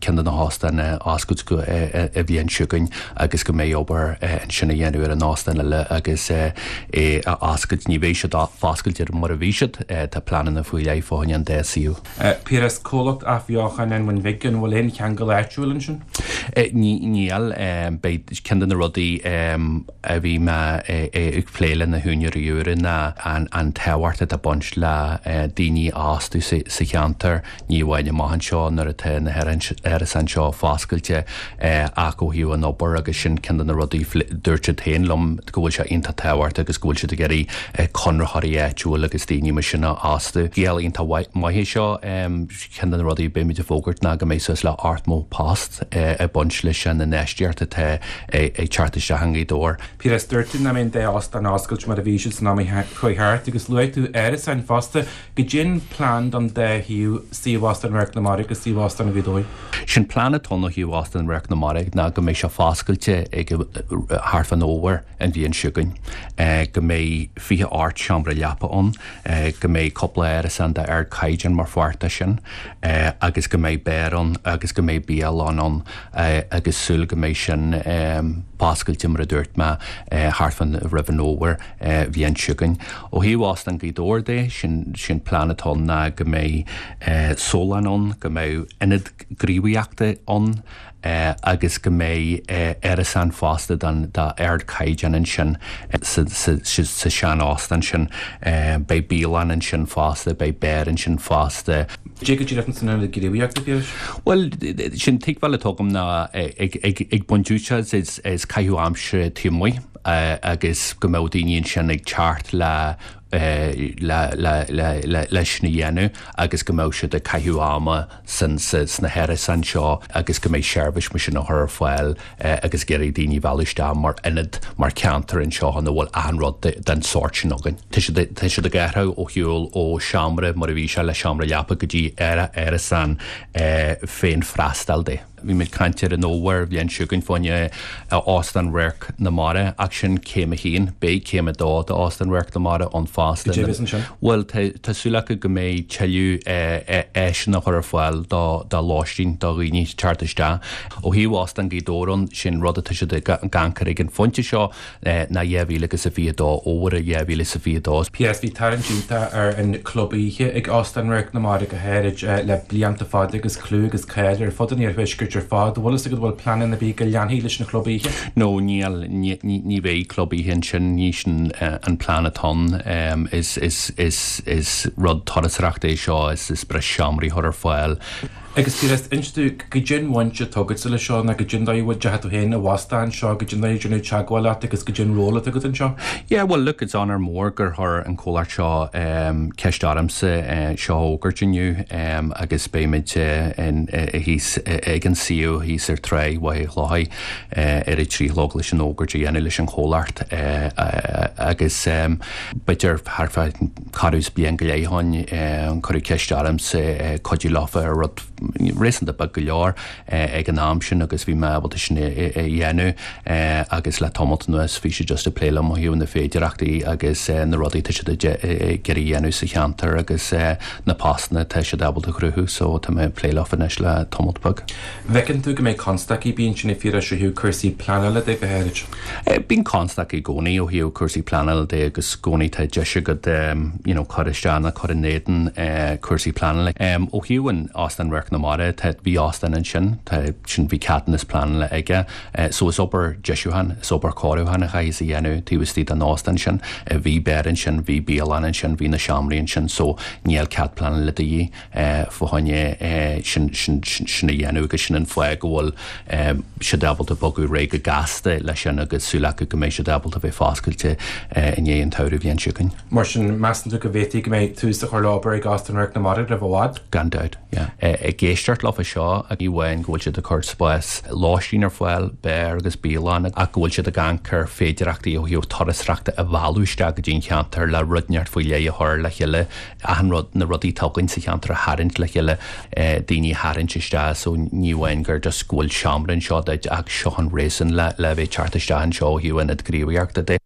ceann de na hóstáin á oscailt an bhliain seo chugainn agus go mbeidh obair ansin a dhéanamh ar an óstán eile agus é a oscailt. Ní bheidh siad foscailte mar a bhí siad, tá pleananna faoi leith fá choinne an dá suíomh. Piaras, Comhlacht Athbheochan an Bhun Bhig, an bhfuil aon cheangal áitiúil ansin? Níl. Beidh ceann de na rudaí a bhí mé ag plé le na húinéirí úra ná an tábhacht atá ag baint le daoine a fhostú sa cheantar, ní amháin amach anseo nuair atá na hárasáin seo foscailte ach ó thaobh an obair agus sin ceann de na rudaí dúirt siad féin liom go bhfuil sé iontach tábhachtach agus go bhfuil siad ag iarraidh conraitheoirí áitiúil agus daoine mar sin a fhostú. Scéal iontach maith é seo. Ceann de na rudaí a beimid ag fógairt ná go mbeidh suas le ochtó post ag baint leis an infheistíocht atá ag teacht isteach i nGaoth Dobhair. Piaras, dúirt tú nach mbeidh an dá óstán á oscailt mar a bhí siad san am a chuaigh thart agus luaigh tú árasáin fosta. Goidé an plean don dá shuíomh, suíomh Óstán Radharc na Mara agus suíomh Óstán Ghaoth Dobhair. Sé'n plean atá ann ó thaobh Óstán Radharc na Mara ná go mbeidh sé foscailte ag thart fán fhómhar an bhliain seo chugainn, go mbeidh fiche ocht seomra leapa ann, go mbeidh cúpla árasán d'ardchaighdeán mar pháirt de sin agus go mbeidh beár ann agus go mbeidh bialann ann agus súil go mbeidh sin oscailte mar a dúirt mé thart fán roimh an fhómhar bhliain seo chugainn. Ó thaobh Óstán Ghaoth Dobhair de, sin sin plean atá ann ná go mbeidh sólann ann, go mbeidh ionad gníomhaíochta ann, agus go mbeidh árasán fosta den d'ardchaighdeán ansin sa sa sean-óstán sin. Beidh bialann ansin fosta, beidh beár ansin fosta. Cad é go díreach san ionad gníomhaíochta, a Phiarais? Bhuel, sin tuigbheáil atá agam ná ag ag ag baint úsáid as as caitheamh aimsire taobh amuigh agus go mbeadh daoine ansin ag teacht le le le le le leis sin a dhéanamh agus go mbeadh siad ag caitheamh ama san sa sna hárasáin seo agus go mbeidh seirbhís mar sin á chur ar fáil agus ag iarraidh daoine a mhealladh isteach mar ionad mar cheantar anseo ina bhfuil achan rud den sórt sin againn. Tá siad tá siad ag athrú ó shiúl ó seomra mar a bhí sé le seomra leapa go dtí árasán féinfhreastail de. Bhí muid ag caint ar an fhómhar bhliain seo chugainn fá choinne Óstán Radharc na Mara ach sin céim a haon. Beidh céim a dó d'Óstán Radharc na Mara ann fosta. Cad é a bheas ansin? Bhuel, tá súil acu go mbeidh tuilleadh áiseanna a chur ar fáil do lóistín do dhaoine teacht isteach. Ó thaobh Óstán Ghaoth Dobhair ann, sin rud atá siad ag amharc air ag an phointe seo ná dhá mhíle agus a fiche dó, fhómhar dhá mhíle is a fiche dó. PS Bhí tarraingt iontach ar an club oíche ag Óstán Radharc na Mara go háirid le blianta fada agus clú agus cáil ar fud an iarthuaiscirt ar fad. Bhfuil fhios agat bhfuil pleananna ar bith go leanfaí leis an chlub oíche? No, níl, ní bheidh club oíche ansin, ní sin an plean atá ann. Is, is, is, is rud turasóireachta é seo, is, is breis seomraí a chur ar fáil. Agus Piaras, inis domh, goidé an bhaint atá agatsa leis seo, nó goidé an dóigh a bhfuil, deachaigh tú féin i bhfostú anseo, goidé an dóigh a ndearnadh teagmháil leat agus goidé an ról atá agat anseo? Yeah, well look, it's honour mór gur chuir an comhlacht seo ceist ormsa seo a fhógairt inniu agus beimid thíos ag an suíomh thíos ar Tráigh Mhachaire Chlochair ar a trí a chlog leis an fhógairt a dhéanamh leis an chomhlacht agus b'fhéidir thart fá corradh is bliain go leith ó shin cuireadh ceist ormsa cuidiú leofa ar rud réasúnta beag go leor ag an am sin agus bhí mé ábalta sin a dhéanamh agus le tamalt anuas bhí siad just ag plé liom ó thaobh na féidearthachtaí agus na rudaí atá siad ag iarraidh a dhéanamh sa cheantar agus na postanna atá siad ábalta a chruthú so tá mé ag plé leofa anois le tamalt beag. Bhfeiceann tú go mbeidh constaicí bíonn sin ag Phiarais ó thaobh cúrsaí pleanála de go háirid? Bíonn constaicí i gcónaí ó thaobh cúrsaí pleanála de agus i gcónaí tá deis agat you know cur isteach nó cur in éadan cúrsaí pleanála. Ó thaobh an Óstán Radharc na Mara, tá, bhí óstán ansin, tá, sin, bhí ceadúnas pleanála aige, so is obair deisiúcháin, is obair cóiriúcháin a chaithfeas a dhéanamh taobh istigh den óstán sin. Bhí beár ansin, bhí bialann ansin, bhí na seomraí ansin, so níl cead pleanála de dhíth fá choinne sin, sin, sin a dhéanamh agus sin an fáth go bhfuil siad ábalta bogadh ar aghaidh go gasta leis sin agus súil acu go mbeidh siad ábalta bheith foscailte i ndiaidh an tsamhraidh bhliain seo chugainn. Mar sin, measann tú go bhféadfaí go mbeidh tús á chur le obair ag Óstán Radharc na Mara roimh i bhfad? Gan dabht, yeah. Ag éisteacht leofa seo, ní amháin go bhfuil siad ag cur spás lóistín ar fáil, beár agus bialann, ach go bhfuil siad ag amharc ar féidearthachtaí ó thaobh turasóireachta a mhealladh isteach go dtí an cheantar le rud inteacht faoi leith a chur le chéile, achan rud, na rudaí atá againn sa cheantar a tharraingt le chéile, daoine a tharraingt isteach so ní amháin gur just go bhfuil seomra anseo duit ach seo an réasún le le bheith teacht isteach anseo ó thaobh ionad gníomhaíochta de.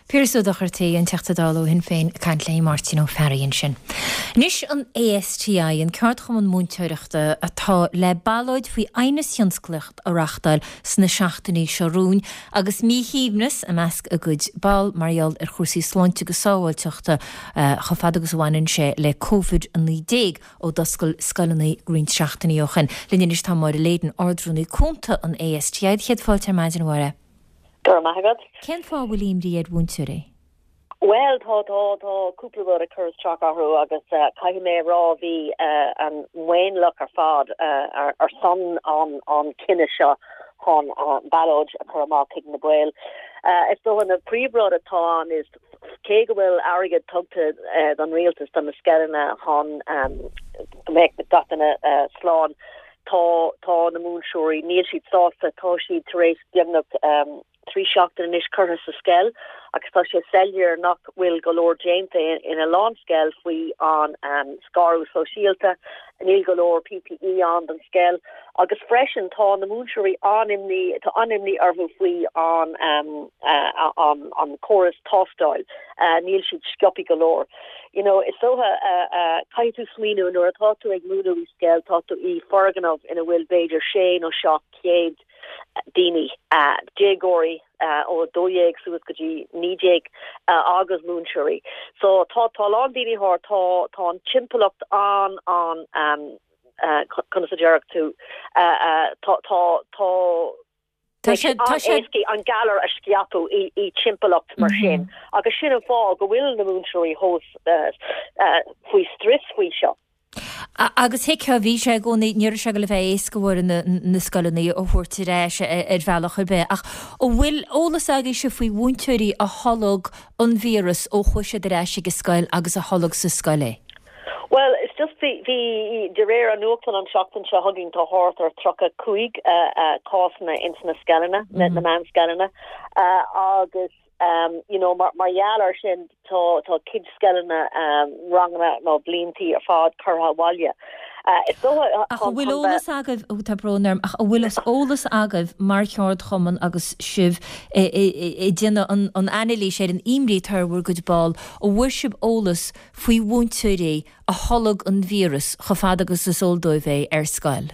Piaras Ó Dochartaigh, an Teachta Dála ó Shinn Féin, ag caint le Máirtín Ó Fearraigh ansin. Anois an ASTI, an ceardchumann múinteoireachta, atá le ballóid faoi aighneas thionsclaíoch a reachtáil sna seachtainí seo romhainn agus míshuaimhneas i measc a gcuid ball mar gheall ar chúrsaí sláinte agus sábháilteachta chomh fada agus a bhaineann sé le Covid a naoi déag ó d'oscail scoileanna roinnt seachtainí ó shin. Linn anois tá Máire Leyden, Ard-Rúnaí Cúnta an ASTI. Céad fáilte ar maidin, a Mháire. Go raibh maith agat. Cén fáth a bhfuil imní ar mhúinteoirí? Bhuel, tá, tá, tá cúpla rud ag cur isteach orthu agus caithfidh mé a rá bhí an maonlach ar fad ar son an an cinneadh seo chun ballóid a chur amach chuig na baill. Is dócha na príomhrud atá ann is cé go bhfuil airgead tugtha don rialtas do na scoileanna chun go mbeadh gach duine slán, tá, tá na múinteoirí, níl siad sásta, tá siad tar éis beagnach trí seachtain anois curtha sa scoil agus tá sé soiléir nach bhfuil go leor déanta ina lán scoil faoi an scaradh sóisialta, níl go leor PPE ann don scoil agus freisin tá na múinteoirí an-imní, tá an-imní orthu faoi an an an córas tástáil, níl siad sciobtha go leor. You know, is dócha caithfidh tú smaoineamh nuair atá tú ag múineadh i scoil, tá tú i foirgneamh ina bhfuil b'fhéidir sé nó seacht céad daoine, déagóirí ó a dó dhéag suas go dtí naoi déag agus múinteoirí. So tá tá a lán daoine thart, tá tá an timpeallacht an an um, conas a déarfadh tú tá tá tá Tá sé tá sé an-éasca an galar a scaipeadh i i timpeallacht mar sin agus sin an fáth go bhfuil na múinteoirí thós faoi strus faoi seo. Agus thuigfeá, bhí sé i gcónaí, ní raibh sé ag dul a bheith éasca a na, na scoileanna a thabhairt ar ais ar bhealach ar bith. Ach an bhfuil eolas agaibhse faoi mhúinteoirí a tholg an víreas ó chuaigh siad ar ais ag an scoil agus a tholg sa scoil é? Well, it's just bhí bhí de réir an nuachtáin an seachtain seo chugainn tá thart ar tríocha cúig cásanna ins na scoileanna, na na meánscoileanna agus um, you know, mar, mar gheall ar sin tá tá cuid scoileanna um, ranganna nó bliantaí ar fad curtha abhaile. Uh, is dócha Ach an bhfuil eolas agaibh ó tá brón orm, ach an bhfuil eolas agaibh mar cheardchumann agus sibh ag déanamh an, an anailís ar an imní atá ar bhur gcuid ball, an bhfuair sibh eolas faoi mhúinteoirí a tholg an víreas chomh fada agus is eol dóibh é ar scoil?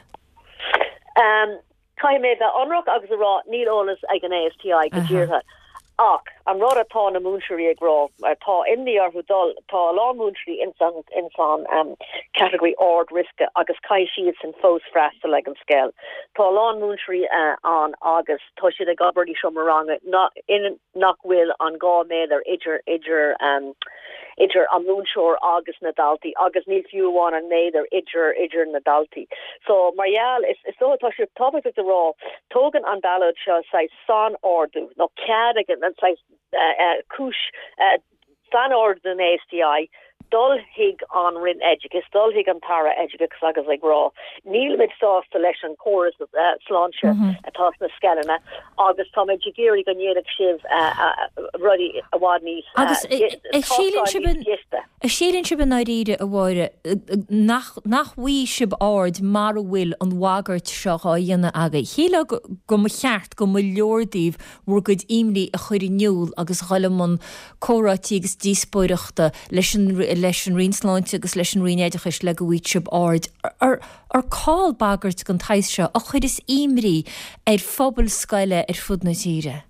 Um, Caithfidh mé bheith ionraic agus a rá níl eolas ag an ASTI go díreach. Ach an rud atá na múinteoirí ag rá tá imní orthu dul tá a lán múinteoirí ins an ins an um, category ard riosca agus caithfidh siad sin fós freastal ag an scoil. Tá a lán múinteoirí uh, ann agus tá siad ag obair i seomra ranga na, in nach bhfuil an dhá méadar idir idir um, idir an múinteoir agus na daltaí agus níl fiú amháin an méadar idir idir na daltaí. So mar gheall is is dócha tá sé tábhachtach a rá tógann an ballóid seo saghas sainordú nó cead ag an saghas uh, uh, cúis uh, sainordú den ASTI dul chuig an Roinn Oideachais, dul chuig an tAire Oideachais agus ag rá. Nílimid sásta leis an córas uh, sláinte mm -hmm. atá sna scoileanna agus táimid ag iarraidh go ndéanfaidh sibh uh, uh, rudaí i bhfad níos Agus síleann sibh síleann sibh i ndáiríre a Mháire nach nach bhfaighidh sibh aird mar a bhfuil an bhagairt seo á dhéanamh agaibh. Shílfeá go mba cheart go mba leor daoibh bhur gcuid imní a chur in iúl agus dhul i mbun comhráití agus díospóireachta leis an leis an Roinn Sláinte agus leis an Roinn Oideachais le go bhfaighidh sibh aird ar ar call bagairt den tsaghas seo a chuireas imní ar phobal scoile ar fud na tíre.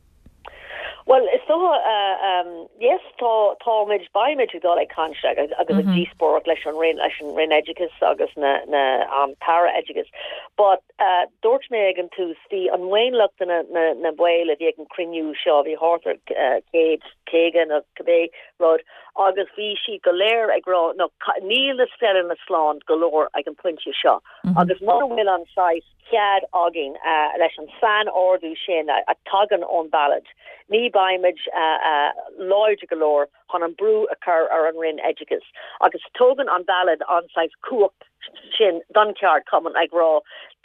Well is dócha uh, um, yes tá táimid beimid ag dul ag caint agus agus ag díospóireacht leis an Roinn leis an Roinn Oideachais agus na na um, tAire Oideachais. But uh, dúirt mé ag an tús bhí an maonlach de na, na, na baill a bhí ag an cruinniú seo bhí thart ar uh, céad caoga nó cibé rud agus bhí siad go léir ag rá no níl na scoileanna slán go leor ag an pointe seo. Mm -hmm. Agus mura bhfuil an saghas cead againn uh, leis an sainordú sin a, a tagann ón ballóid. Ní beimid uh, uh, láidir go leor chun an brú a chur ar an Roinn Oideachais. Agus tógann an ballóid an saghas cumhacht sin don cheardchumann ag rá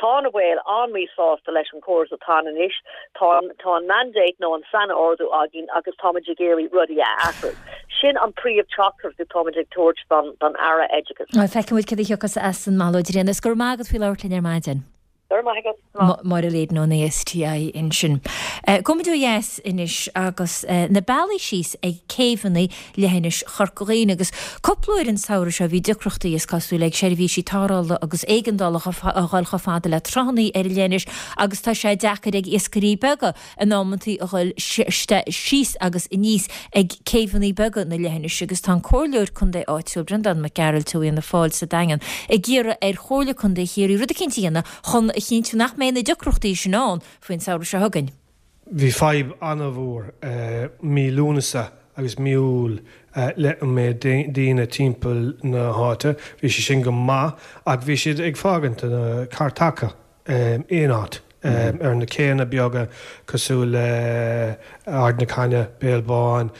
tá na baill an-mhíshásta leis an córas atá anois tá tá an mandate nó an sainordú againn agus táimid ag iarraidh rudaí a athrú. Sin an príomh-teachtaireacht atáimid ag tabhairt don don Aire Oideachais. Feicfimid cad a thiocfas as an mballóid sin, is go raibh maith agat faoi labhairt linn ar maidin. Máire Leyden ón ASTI ansin. Gabhfaimid ó dheas anois agus na bealaí síos ag céibheanna leithinis Chorca Dhuibhne agus cúpla uair an samhradh seo bhí deacrachtaí is cosúil ag seirbhísí tarrthála agus éigeandála a dhul chomh fada le tránna ar an leithinis agus tá sé deacair ag iascairí beaga in amantaí a dhul síos agus aníos ag céibheanna beaga na leithinise agus tá an Comhairleoir Contae áitiúil Breandán Mac Gearailt ó Fhianna Fáil sa Daingean ag iarraidh ar Chomhairle Contae Chiarraí rud eicínt a dhéanamh chun a chinntiú nach mbeidh na deacrachtaí sin ann faoin samhradh seo chugainn. Bhí fadhb an-mhór mí Lúnasa agus mí Iúil le an méid daoine timpeall na háite. Bhí sé sin go maith ach bhí siad ag fágaint na cairteacha aon áit ar na céanna beaga cosúil le Ard na Cainne, Béal Bán,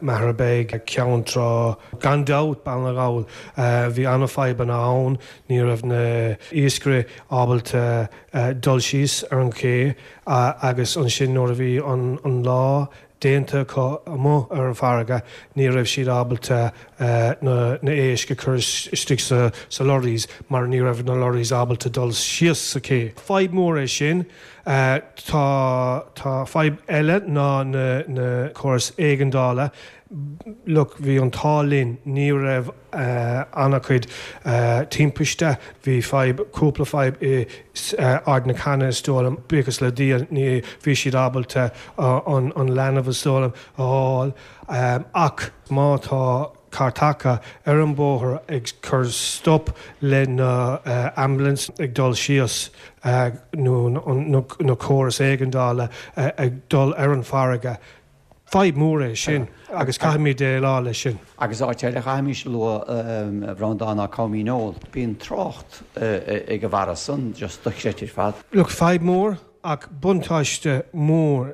Machaire Bheag, Ceann Trá, gan dabht Baile na nGall. Bhí an-fhadhbanna ann, ní raibh na iascairí ábalta dul síos ar an ché agus ansin nuair a bhí an lá déanta acu amuigh ar an bhfarraige, ní raibh siad ábalta na éisc a chur istigh sa lorries mar ní raibh na lorries ábalta dul síos sa ché. Fadhb mór é sin. Tá tá fadhb eile ná na na córas éigeandála. Look, bhí an t-ádh linn, ní raibh an-chuid timpiste, bhí fadhb, cúpla fadhb i Ard na Canna is dóigh liom, buíochas le Dia ní, bhí siad ábalta an leanbh is dóigh liom a fháil. Ach má tá carr taca ar an bóthar ag cur stop le na ambulance ag dul síos nó na córas éigeandála ag dul ar an farraige, Fadhb mhór é sin agus caithfimid déileáil leis sin. Agus áit eile a chaithfimis a lua, a Bhreandáin, ná Com Dhíneol. Bíonn trácht ag an bhfara san just dochreidte ar fad. Look, fadhb mhór ach buntáiste mór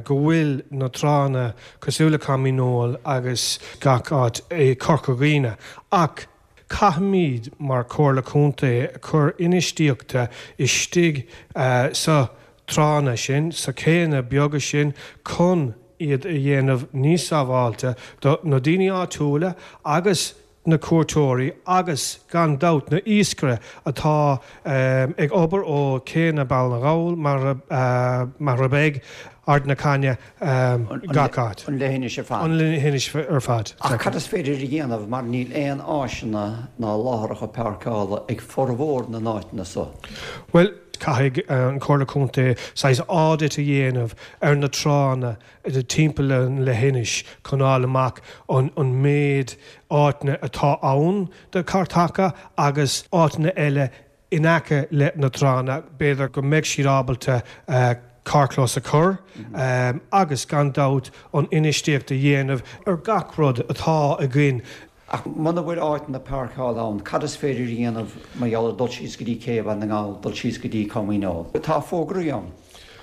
go bhfuil na tránna cosúil le Com Dhíneol agus gach áit i Corca Dhuibhne ach caithfimid mar Chomhairle Contae cur infheistíochta istigh sa tránna sin, sa chéanna beaga sin chun iad a dhéanamh níos sábháilte do na daoine áitiúla agus na cuairteoirí agus, gan dabht, na iascairí atá ag obair ó chéanna Baile na nGall, Machaire Bheag, Ard na Cainne, gach áit. An leithinis ar fad. An leithinis ar fad. Ach cad is féidir a dhéanamh mar níl aon áiseanna ná láithreacha páirceála ag formhór na n-áiteanna so? Bhuel, caithfidh an Chomhairle Contae saghas audit a dhéanamh ar na tránna timpeall an leithinis chun fháil amach an méid áiteanna atá ann do charr taca agus áiteanna eile in aice le na tránna, b'fhéidir go mbeidh siad ábalta carrchlós a chur agus gan dabht an infheistíocht a dhéanamh ar gach rud atá againn. Ach muna bhfuil áiteanna páirceála ann, cad is féidir a dhéanamh mar gheall ar dul síos go dtí Cé Bhaile na nGall, dul síos go dtí Com Dhíneol? Tá fógraí ann,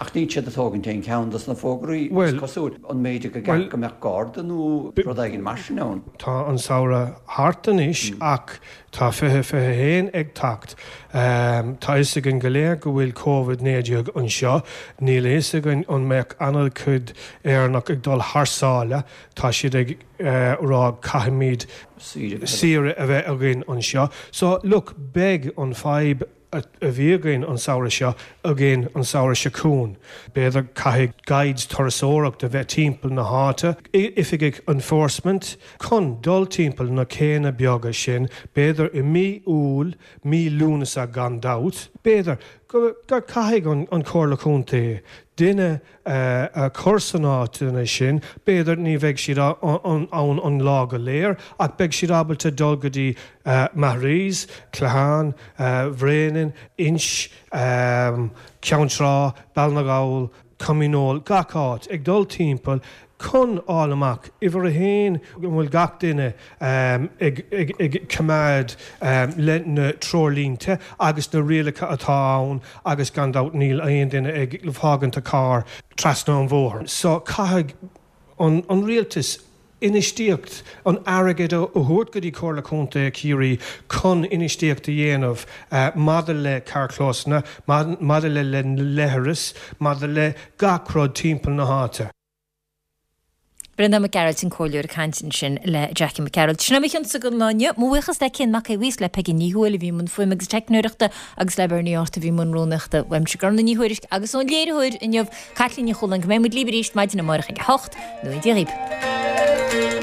ach níl siad ag tógaint aon cheann dos na fógraí, is cosúil. An mb'fhéidir go gceart go mbeadh garda nó rud éigin mar sin ann? Tá an samhradh thart anois ach tá fiche fiche a haon ag teacht. Tá fhios againn go léir go bhfuil Covid naoi déag anseo. Níl a fhios againn an mbeadh an-chuid Éireannach ag dul thar sáile. Tá siad ag. rá caithfimid saoire a bheith againn anseo. So, look, beidh an fadhb a bhí againn an samhradh seo againn an samhradh seo chugainn. B'fhéidir caithfidh guides turasóireacht a bheith timpeall na háite, oifigigh enforcement chun dul timpeall na céanna beaga sin, b'fhéidir i mí Iúil, mí Lúnasa gan dabht. B'fhéidir go caithfidh an Chomhairle Contae duine a chur san áiteanna sin, b'fhéidir ní bheidh siad ann an lá go léir ach beidh siad ábalta dul go dtí Maharees, Clochán Bhréanainn, Inch, Ceann Trá, Baile na nGall, Com Dhíneol, gach áit, ag dul timpeall chun fháil amach, uimhir a haon, an bhfuil gach duine ag coimeád le na treoirlínte agus na rialacha atá ann agus gan dabht níl aon duine ag fágaint a carr trasna an bhóthair. So caithfidh an rialtas infheistíocht, an airgead a thabhairt go dtí Comhairle Contae Chiarraí chun infheistíocht a dhéanamh maidir le carrchlósanna, maidir le leithris, maidir le gach rud timpeall na háite. Breandán Mac Gearailt an Comhairleoir ag caint ansin le Jackie Mac Gearailt. Sin é mo chionsa don lá inniu. Mo bhuíochas le Cian Mac Aodha Bhuí, le Peigí Ní Thuathail a bhí i mbun fuaime agus teicneoireachta agus le Bernie Art a bhí i mbun rúnaíochta. Uaimse Gormlaith Ní Thuairisg agus ón léiritheoir inniu, Caitlín Ní Chualáin, go mbeidh muid libh arís maidin amárach ag a hocht. Nó Dia dhaoibh.